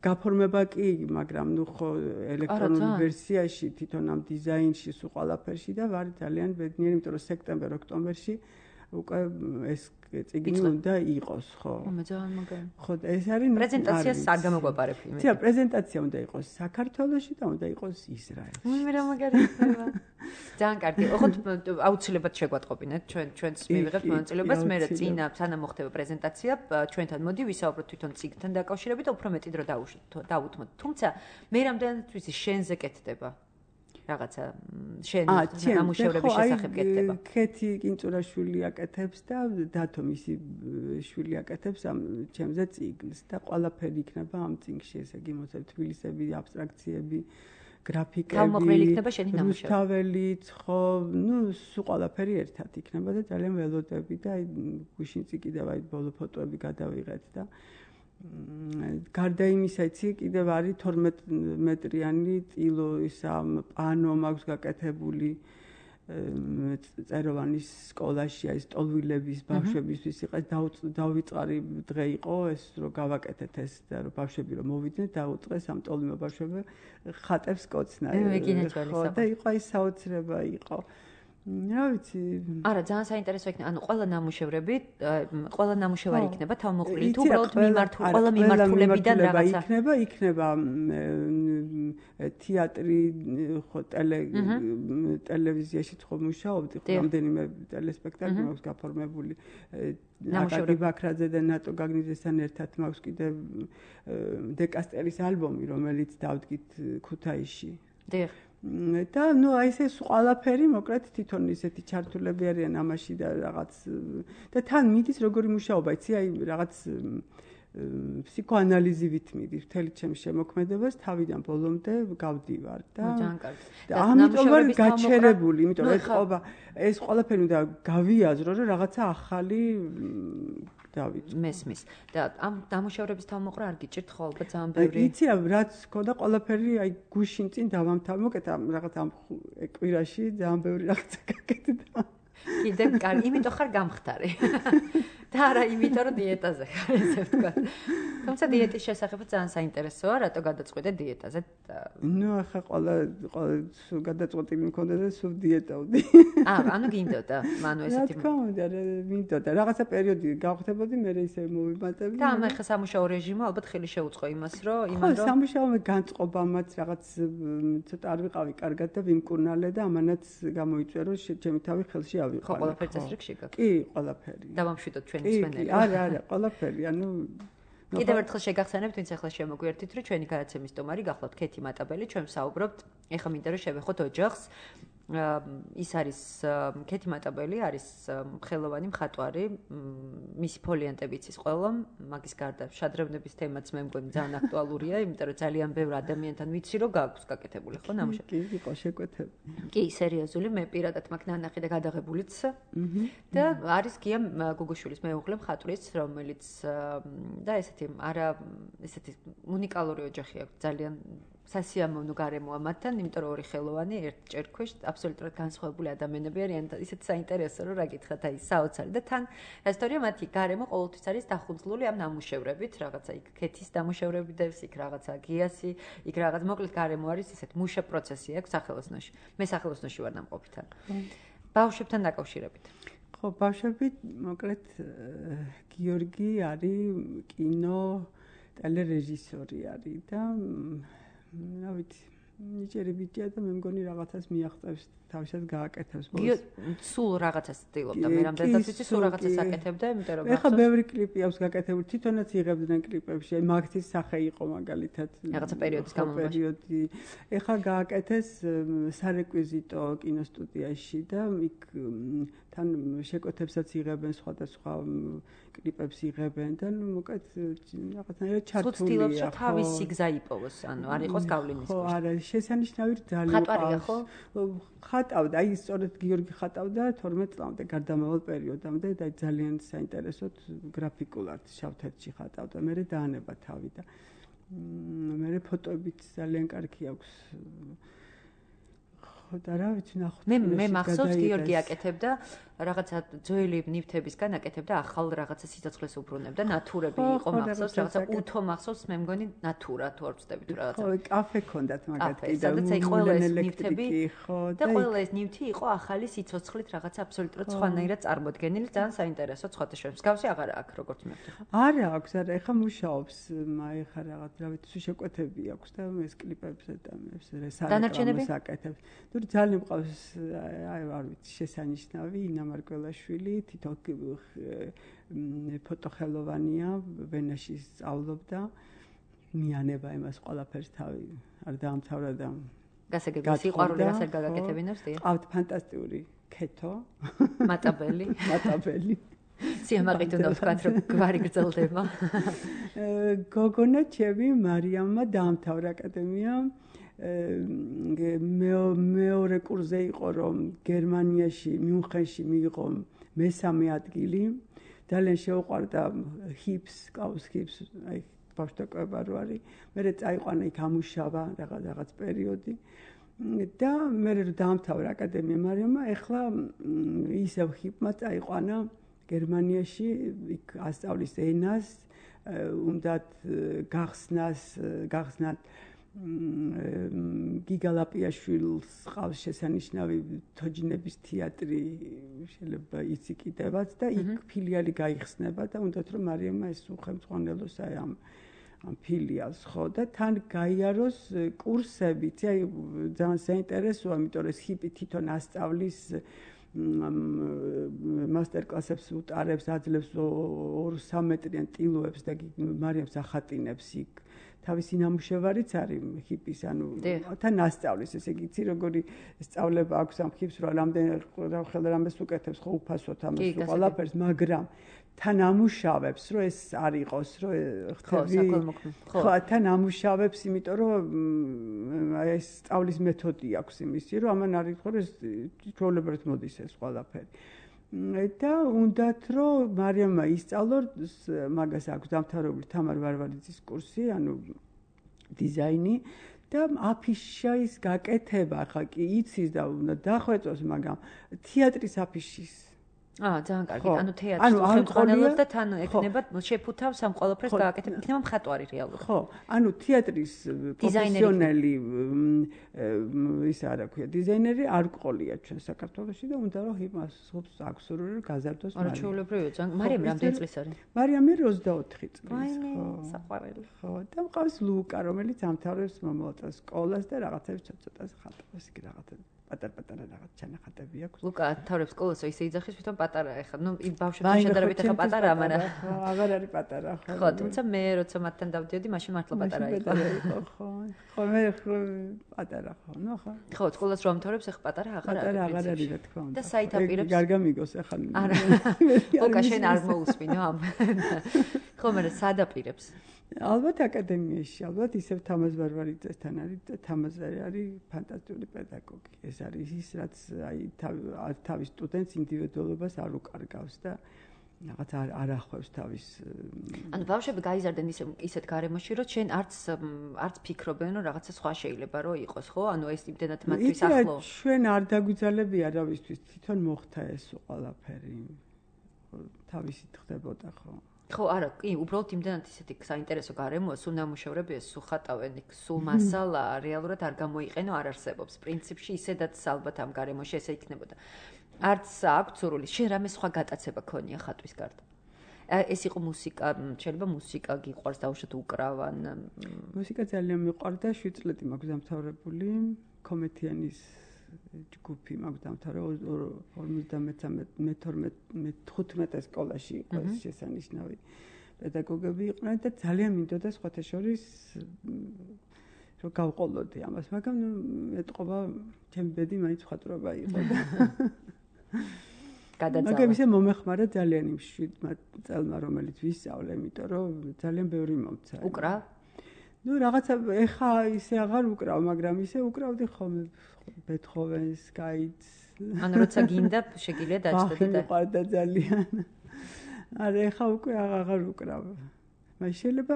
გაფორმება კი, მაგრამ ხო ელექტრონული ვერსიაში, თვითონ ამ დიზაინში, სულ ყველაფერში და ვარ ძალიან ბედნიერი, იმიტომ რომ სექტემბერ-ოქტომბერში უკვე ეს წიგნი უნდა იყოს, ხო. მე ძალიან მაგარი. ხო, ეს არის პრეზენტაციას არ გამოგვაპარებ იმით. ცია, პრეზენტაცია უნდა იყოს საქართველოში და უნდა იყოს ისრაელში. მე რა მაგარი ხდება. ძალიან კარგი. ოღონდ აუცილებლად შეგვატყობინეთ ჩვენს მივიღებთ მონაწილეობას, მე რა წინა სანამ მოხდება პრეზენტაცია, ჩვენთან მოდი ვისაუბროთ თვითონ წიგნთან დაკავშირებით და უფრო მეტი დრო დაუთმოთ. თუმცა მე რამდენად ვიცი შენზე კეთდება. რაღაცა შენ ნამუშევრების შესახებ კეთდება. ქეთი კინწურაშვილი აკეთებს და დათო მისი შვილი აკეთებს ამ ჩემზე წიგნს და ყველაფერი იქნება ამ წიგნში, ესე იგი მოსწავლე თბილისები, აბსტრაქციები, გრაფიკები, თავმოყრილი იქნება შენი ნამუშევრი. რუსთაველიც, ხო, სულ ყველაფერი ერთად იქნება და ძალიან ველოდები და გუშინწი კიდევ აი ბოლო ფოტოები გადავიღეთ და გარდა იმისა, იცი, კიდევ არის 12 მეტრიანი ტილო ისა პანო მაქვს გაკეთებული წეროვანის სკოლაში, აი სტოლვილების ბავშვებისთვის იყეს დავიწყარი დღე იყო ეს, რომ გავაკეთეთ ეს და რომ ბავშვები რომ მოვიდნენ, დაუწყეს ამ ტოლვილ ბავშვებს ხატებს კოცნა. ხო, და იყო აი საოცრება იყო. რა ვიცი. არა, ძალიან საინტერესო იქნება. ანუ ყველა ნამუშევრები, ყველა ნამუშევარი იქნება თავმოყრილი თუ უბრალოდ ყველა მიმართულებიდან რაღაცა. იქნება თეატრი, ხო, ტელევიზიაში ხო მუშაობდი, რამდენიმე ტელესპექტაკლი მაქვს გაფორმებული. აკაკი ბაქრაძე და ნატო გაგნიძესთან ერთად მაქვს კიდევ დეკასტერის ალბომი, რომელიც დავდგით ქუთაისში. დიახ. და აი ეს ყველაფერი მოკლედ თვითონ ისეთი ჩართულები არიან ამაში და რაღაც და თან მიდის როგორი მუშაობა, იცი, აი რაღაც ფსიქოანალიზივით მიდის მთელი ჩემი შემოქმედებას თავიდან ბოლომდე გავდივარ და ამიტომ ვარ გაჩერებული, იმიტომ რომ ეს ყველაფერი უნდა გავიაზრო, რომ რაღაცა ახალი მესმის და ამ ნამუშევრების თავმოყრა არ გიჭირთ ხო ალბათ ძალიან ბევრი. იცი რა, რაც ქონდა ყველაფერი აი გუშინ წინ დავამთავრე, მოკეთა რაღაც ამ კვირაში ძალიან ბევრი რაღაცა გაკეთდა. კიდევ კარგი, იმიტომ ხარ გამხდარი. და არა იმიტომ რომ დიეტაზე ხარ, ესე ვთქვა. თუმცა დიეტის შესახებაც ძალიან საინტერესოა, რატო გადაწყვეტე დიეტაზე? ახლა ყველა გადაწყვეტილი მქონდა და სულ დიეტავდი. ანუ გინდოდა, ანუ ესეთი. რა თქმა უნდა, მინდოდა. რაღაცა პერიოდი გავხდებოდი, მე ისე მოვიმატებდი. და ამ ახლა სამუშაო რეჟიმო ალბათ ხელი შეუწყო იმას, რომ ხო, სამუშაო განწყობამაც რაღაც ცოტა არ ვიყავი კარგად და ვიმკურნალე და ამანაც გამოიწვია, რომ ჩემი თავი ხელში ავიყვანე. ხო, ყველაფერი წესრიგში გაქვს. კი, ყველაფერი. დავამშვიდოთ ჩვენი მსმენელი. არა, ყველაფერი, ანუ კიდევ ერთხელ შეგახსენებთ, ვინც ახლა შემოგვიერთით, რომ ჩვენი გადაცემის სტუმარი გახლავთ ქეთი მატაბელი, ჩვენ ვსაუბრობთ, ეხლა მინდა რომ შევეხოთ ოჯახს. ის არის ქეთი მატაბელი, არის ხელოვანი მხატვარი, მისი ფოლიანტები იცის ყველა, მაგის გარდა შადრევნების თემაც მე მგონი ძალიან აქტუალურია, იმიტომ რომ ძალიან ბევრ ადამიანთან ვიცი, რომ გაქვს გაკეთებული, ხო, ნამუშევარი. კი, იყო შეკვეთები. კი, სერიოზული, მე პირადად მაგ ნანახი და გადაღებულიც. და არის გია გუგუშვილის მეუღლე მხატვრის, რომელიც და ესეთი უნიკალური ოჯახი აქვს, ძალიან სასიამოვნო გარემოა მათთან, იმიტომ რომ ორი ხელოვანი ერთ ჭერქვეშ აბსოლუტურად განსხვავებული ადამიანები არიან, ისეთ საინტერესო რომ რა გითხრათ, აი საოცარი და თან ისტორია მათი გარემო ყოველთვის არის დახუძლული ამ ნამუშევრებით, რაღაცა იქ ქეთის ნამუშევრები დევს, იქ რაღაცა გიასი, იქ რაღაც მოკლედ გარემო არის ისეთ მუშა პროცესი აქვს სახელოსნოში. მე სახელოსნოში ვარ ნამყოფი თან. ბავშვებთან დაკავშირებით. ხო, ბავშვები, მოკლედ გიორგი არის კინო ტელერეჟისორი არის და რა ვიცი, ნიჭიერი ბიჭია და მე მგონი რაღაცას მიაღწევს, თავისად გააკეთებს ბოლოს. სულ რაღაცას ცდილობდა, მე რამდენადაც ვიცი, სულ რაღაცას აკეთებდა, იმიტომ რომ ეხლა ბევრი კლიპი აქვს გაკეთებული, თვითონაც იღებდნენ კლიპებში, აი მაგთის სახე იყო მაგალითად. რაღაცა პერიოდის განმავლობაში. ეხლა გააკეთეს სარეკვიზიტო კინოსტუდიაში და იქ თან შეკვეთებსაც იღებენ სხვადასხვა კლიპებს იღებენ და ნუ მოკლედ რაღაცნაირად ჩართულია. ცდილობს რომ თავისი გზა იპოვოს, ანუ არ იყოს გავლენის ქვეშ. ხო, არა, შესანიშნავი ძალიან ხატვარია ხო? ხატავდა, აი სწორედ გიორგი ხატავდა 12 წლამდე გარდამავალ პერიოდამდე და ძალიან საინტერესოდ გრაფიკულად შავ-თეთრში ხატავდა. მერე დაანება თავი და მერე ფოტოებიც ძალიან კარგი აქვს. ხო და რა ვიცი ნახოთ. მე მახსოვს გიორგი აკეთებდა რაღაცა ძველი ნივთებისგან აკეთებდა ახალ რაღაცა სიცოცხლეს უბრუნებდა, ნატურები იყო მახსოვს, რაღაცა უთო მახსოვს, მე მგონი ნატურა თუ არ ვწდები თუ რაღაცა. ხო, კაფე ქონდათ მაგათ კიდე. სადაც აი ყველა ეს ნივთები ხო და ყველა ეს ნივთი იყო ახალი სიცოცხლით რაღაცა აბსოლუტურად სხვანაირად წარმოდგენილი, ძალიან საინტერესო სხვადასხვა. მსგავსი აღარ აქვს როგორც მე ვთქვა. არა აქვს, არა, ეხა მუშაობს, ეხა რაღაც რა ვიცი შეკვეთები აქვს და ეს კლიპებზე და ეს დანარჩენები აკეთებს. თუ ძალიან მყავს აი არ ვიცი შესანიშნავი ინამარკველაშვილი თითო ფოტოხელოვანია ვენაში სწავლობდა მიანება იმას ყველაფერს თავი არ დაამთავრა და გასაგებია სიყვარული რასაც გაგაკეთებინებს დიახ ყავთ ფანტასტიკური ქეთო მატაბელი სიამაყით უნდა ვთქვათ რომ გვარი გრძელდება გოგონა ჩემი მარიამმა დაამთავრა აკადემია მეორე კურსზე იყო რომ გერმანიაში მიუნხენში მიიღო მესამე ადგილი ძალიან შეუყვარდა ჰიპს ყავს ჰიპს აი ბავშვთაკვება რო არის მე წაიყვანა იქ ამუშავა რაღაც პერიოდი და მე რომ დაამთავრა აკადემია მარიამმა ეხლა ისევ ჰიპმა წაიყვანა გერმანიაში იქ ასწავლის ენას უნდათ გახსნათ გიგალაპიაშვილს ყავს შესანიშნავი თოჯინების თეატრი შეიძლება იცი კიდევაც და იქ ფილიალი გაიხსნება და უნდათ რომ მარიამმა ეს უხელმძღვანელოს აი ამ ფილიალს ხო და თან გაიაროს კურსებიც აი ძალიან საინტერესოა იმიტომ რომ ჰიპი თვითონ ასწავლის მასტერკლასებს უტარებს აძლევს 2-3 მეტრიან ტილოებს და მარიამს ახატინებს იქ თავისი ნამუშევარიც არის ჰიპის ანუ თან ასწავლის ესე იგი იცი როგორი სწავლება აქვს ამ ჰიპს რომ რამეს უკეთებს ხო უფასოდ ამას ყველაფერს მაგრამ თან ამუშავებს რომ ეს არ იყოს რომ ხო თან ამუშავებს იმიტომ რომ ეს სწავლის მეთოდი აქვს იმისი რომ ამან არ იყო რომ ეს ჩვეულებრივად მოდის ეს ყველაფერი და უნდათ რომ მარიამმა ისწავლოს მაგას აქვს დამთავრებული თამარ ვარვარიძის კურსი ანუ დიზაინი და აფიშის გაკეთება ხა კი იცის და უნდა დახვეწოს მაგრამ თეატრის აფიშის ძალიან კარგი. ანუ თეატრს ხელმძღვანელობს და თან ექნება შეფუთავს ამ ყველაფერს გააკეთებ. იქნება მხატვარი რეალურად. ხო, ანუ თეატრის პროფესიონალი ის არა ქვია, დიზაინერი არ ყოლია ჩვენ საქართველოში და უნდა რომ იმას აქვს სურვილი გაზარდოს მაგრამ. არა, ჩვეულებრივია ძალიან. მარიამ რამდენი წლის არის? მარიამი 24 წლის. ვაინე, საყვარელი. ხო, და მყავს ლუკა, რომელიც ამთავრებს მომავალ სკოლას და რაღაცებს ცოტა ხატავს იქ რაღაცა. პატარ-პატარა რაღაც ჩანახატები აქვს. ლუკა თავრებს სკოლას ისე იძახის, თვითონ პატარა ახლა. ნუ იმ ბავშვებთან შედარებით ახლა პატარა, მაგრამ აღარ არის პატარა, ხო. ხო, თუმცა მე როცა მათთან დავდიოდი, მაშინ მართლა პატარა იყო. ხო. ხო, მე პატარა ხო, ნუ ხო. ხო, სკოლას რომ ამთავრებს, ახლა პატარა აღარ არის. პატარა აღარ არის, რა თქმა უნდა. და საით აპირებს? კარგა მიგოს ახლა. არა. ლუკა შენ არ მოусმინო ამ. ხო, მე სად აპირებს? ალბათ აკადემიაში, ალბათ ისევ თამაზ ვარვარიძესთან არის და თამაზარი არის ფანტასტიკური პედაგოგი. ეს არის ის, რაც აი თავის სტუდენტს ინდივიდუალობას არ უკარგავს და რაღაც არ ახვევს თავის ანუ ბავშვები გაიზარდნენ ისეთ გარემოში, რომ შენ არც ფიქრობენ, რომ რაღაცა სხვა შეიძლება რომ იყოს, ხო? ანუ ეს იმდენად მათთვის ახლო. ჩვენ არ დაგვიძალებია რავისთვის, თვითონ მოხდა ეს ყველაფერი. თავისით ხდებოდა, ხო? ხო, არა, კი, უბრალოდ იმდენად ისეთი საინტერესო გარემოა, სულ ნამუშევრებია, სულ ხატავენ, სულ მასალა რეალურად არ გამოიყენო, არ არსებობს. პრინციპში ისედაც ალბათ ამ გარემოში ესე იქნებოდა. არც აქვს სურვილი. შენ რამე სხვა გატაცება ქონია ხატვის გარდა? ეს იყო მუსიკა, შეიძლება მუსიკა გიყვარს დაუშვათ უკრავან. მუსიკა ძალიან მიყვარდა, 7 წლები მაქვს დამთავრებული, კომეთიანის ჯგუფი მაქვს დამთავრებული 52-მე სკოლაში იყო ეს შესანიშნავი პედაგოგები იყვნენ და ძალიან მინდოდა სხვათა შორის რომ გავყოლოდი ამას, მაგრამ ეტყობა ჩემი ბედი მაინც მხატვრობა იყო და მაგრამ ისე მომეხმარა ძალიან იმ 7 წელმა რომელიც ვისწავლე, იმიტომ რომ ძალიან ბევრი მომცა. უკრავ? ნუ რაღაცა ეხა ისე აღარ უკრავ, მაგრამ ისე უკრავდი ხოლმე ბეთჰოვენს, გაიტს. ანუ როცა გინდა შეგიძლია დაჭდეთ და მიყვარდა ძალიან. არა ეხა უკვე აღარ უკრავ. მაგრამ შეიძლება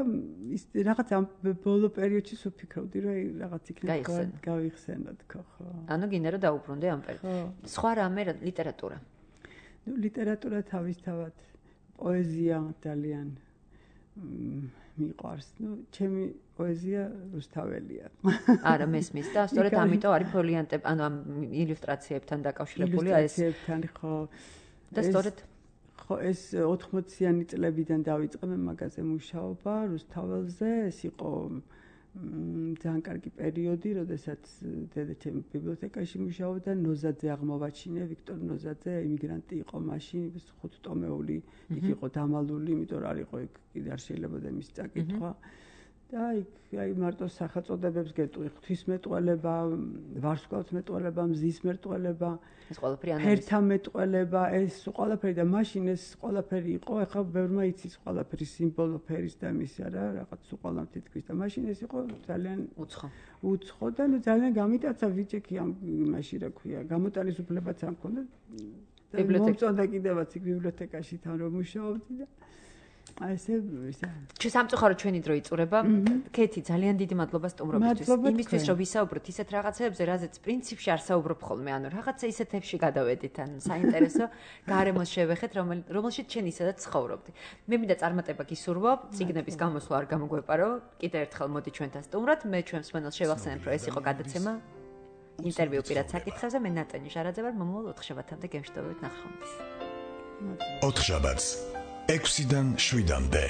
ის რაღაც ამ ბოლო პერიოდში ვფიქრობდი რომ რაღაც იქნება გავიხსენო თქო ხო. ანუ გინდა რომ დაუბრუნდე ამ პერიოდში. სხვა რამე ლიტერატურა. ნუ ლიტერატურა თავისთავად პოეზია ძალიან მიყვარს. ნუ ჩემი პოეზია რუსთაველია. არა მესმის და სწორედ ამიტომ არის ფოლიანტები, ანუ ამ ილუსტრაციებთან დაკავშირებული ეს ილუსტრაციებთან ხო. და სწორედ ხო ეს 80-იანი წლებიდან დავიწყე მე მაგაზე მუშაობა რუსთაველზე. ეს იყო ძალიან კარგი პერიოდი, როდესაც დედა ჩემი ბიბლიოთეკაში მუშაობდა, ნოზაძე აღმოვაჩინე, ვიქტორ ნოზაძე, იმიგრანტი იყო მაშინ, 5 ტომეული, იქ იყო დამალული, იმიტომ რომ არ იყო იქ კიდე არ შეიძლებოდა მის წაკითხვა. და აი მარტო სახელწოდებებს გეტყვი, ღვთისმეტყველება, ვარსკვლავთმეტყველება, მზისმეტყველება, ეს ყველაფერი ფერთამეტყველება, ეს ყველაფერი და მაშინ ეს ყველაფერი იყო, ახლა ბევრმა იცის ყველაფერი სიმბოლო ფერის და მის არა, რაღაც უყალამ თითქმის და მაშინ ეს იყო ძალიან უცხო და ნუ ძალიან გამიტაცა ვიჭექი ამ იმაში რა ქვია, გამოტანის უფლებაც არ მქონდა. მომწონდა კიდევაც იქ ბიბლიოთეკაში თან რომ მუშაობდი და აი ესე სამწუხაროდ ჩვენი დრო იწურება. კეთი, ძალიან დიდი მადლობა სტუმრობისთვის. იმისთვის რომ ვისაუბროთ ისეთ რაღაცებზე, რაზეც პრინციპში არ საუბრობ ხოლმე, ანუ რაღაცა ისეთებში გადავედით, ან საინტერესო გარემოს შევეხეთ, რომელშიც ჩვენ ისედაც ცხოვრობდი. მე მინდა წარმატება გისურვო, წიგნების გამოსვლა არ გამოგვეპარო. კიდევ ერთხელ მოდი ჩვენთან სტუმრად. მე ჩვენს მენელს შევახსენებ, რომ ეს იყო გადაცემა ინტერვიუ პირად საკითხებზე. მე ნატონი ჟარაძე ვარ, მომავალ 4 შაბათამდე გემშვიდობებით ნახვამდის. 4 შაბათს 6-დან 7-მდე.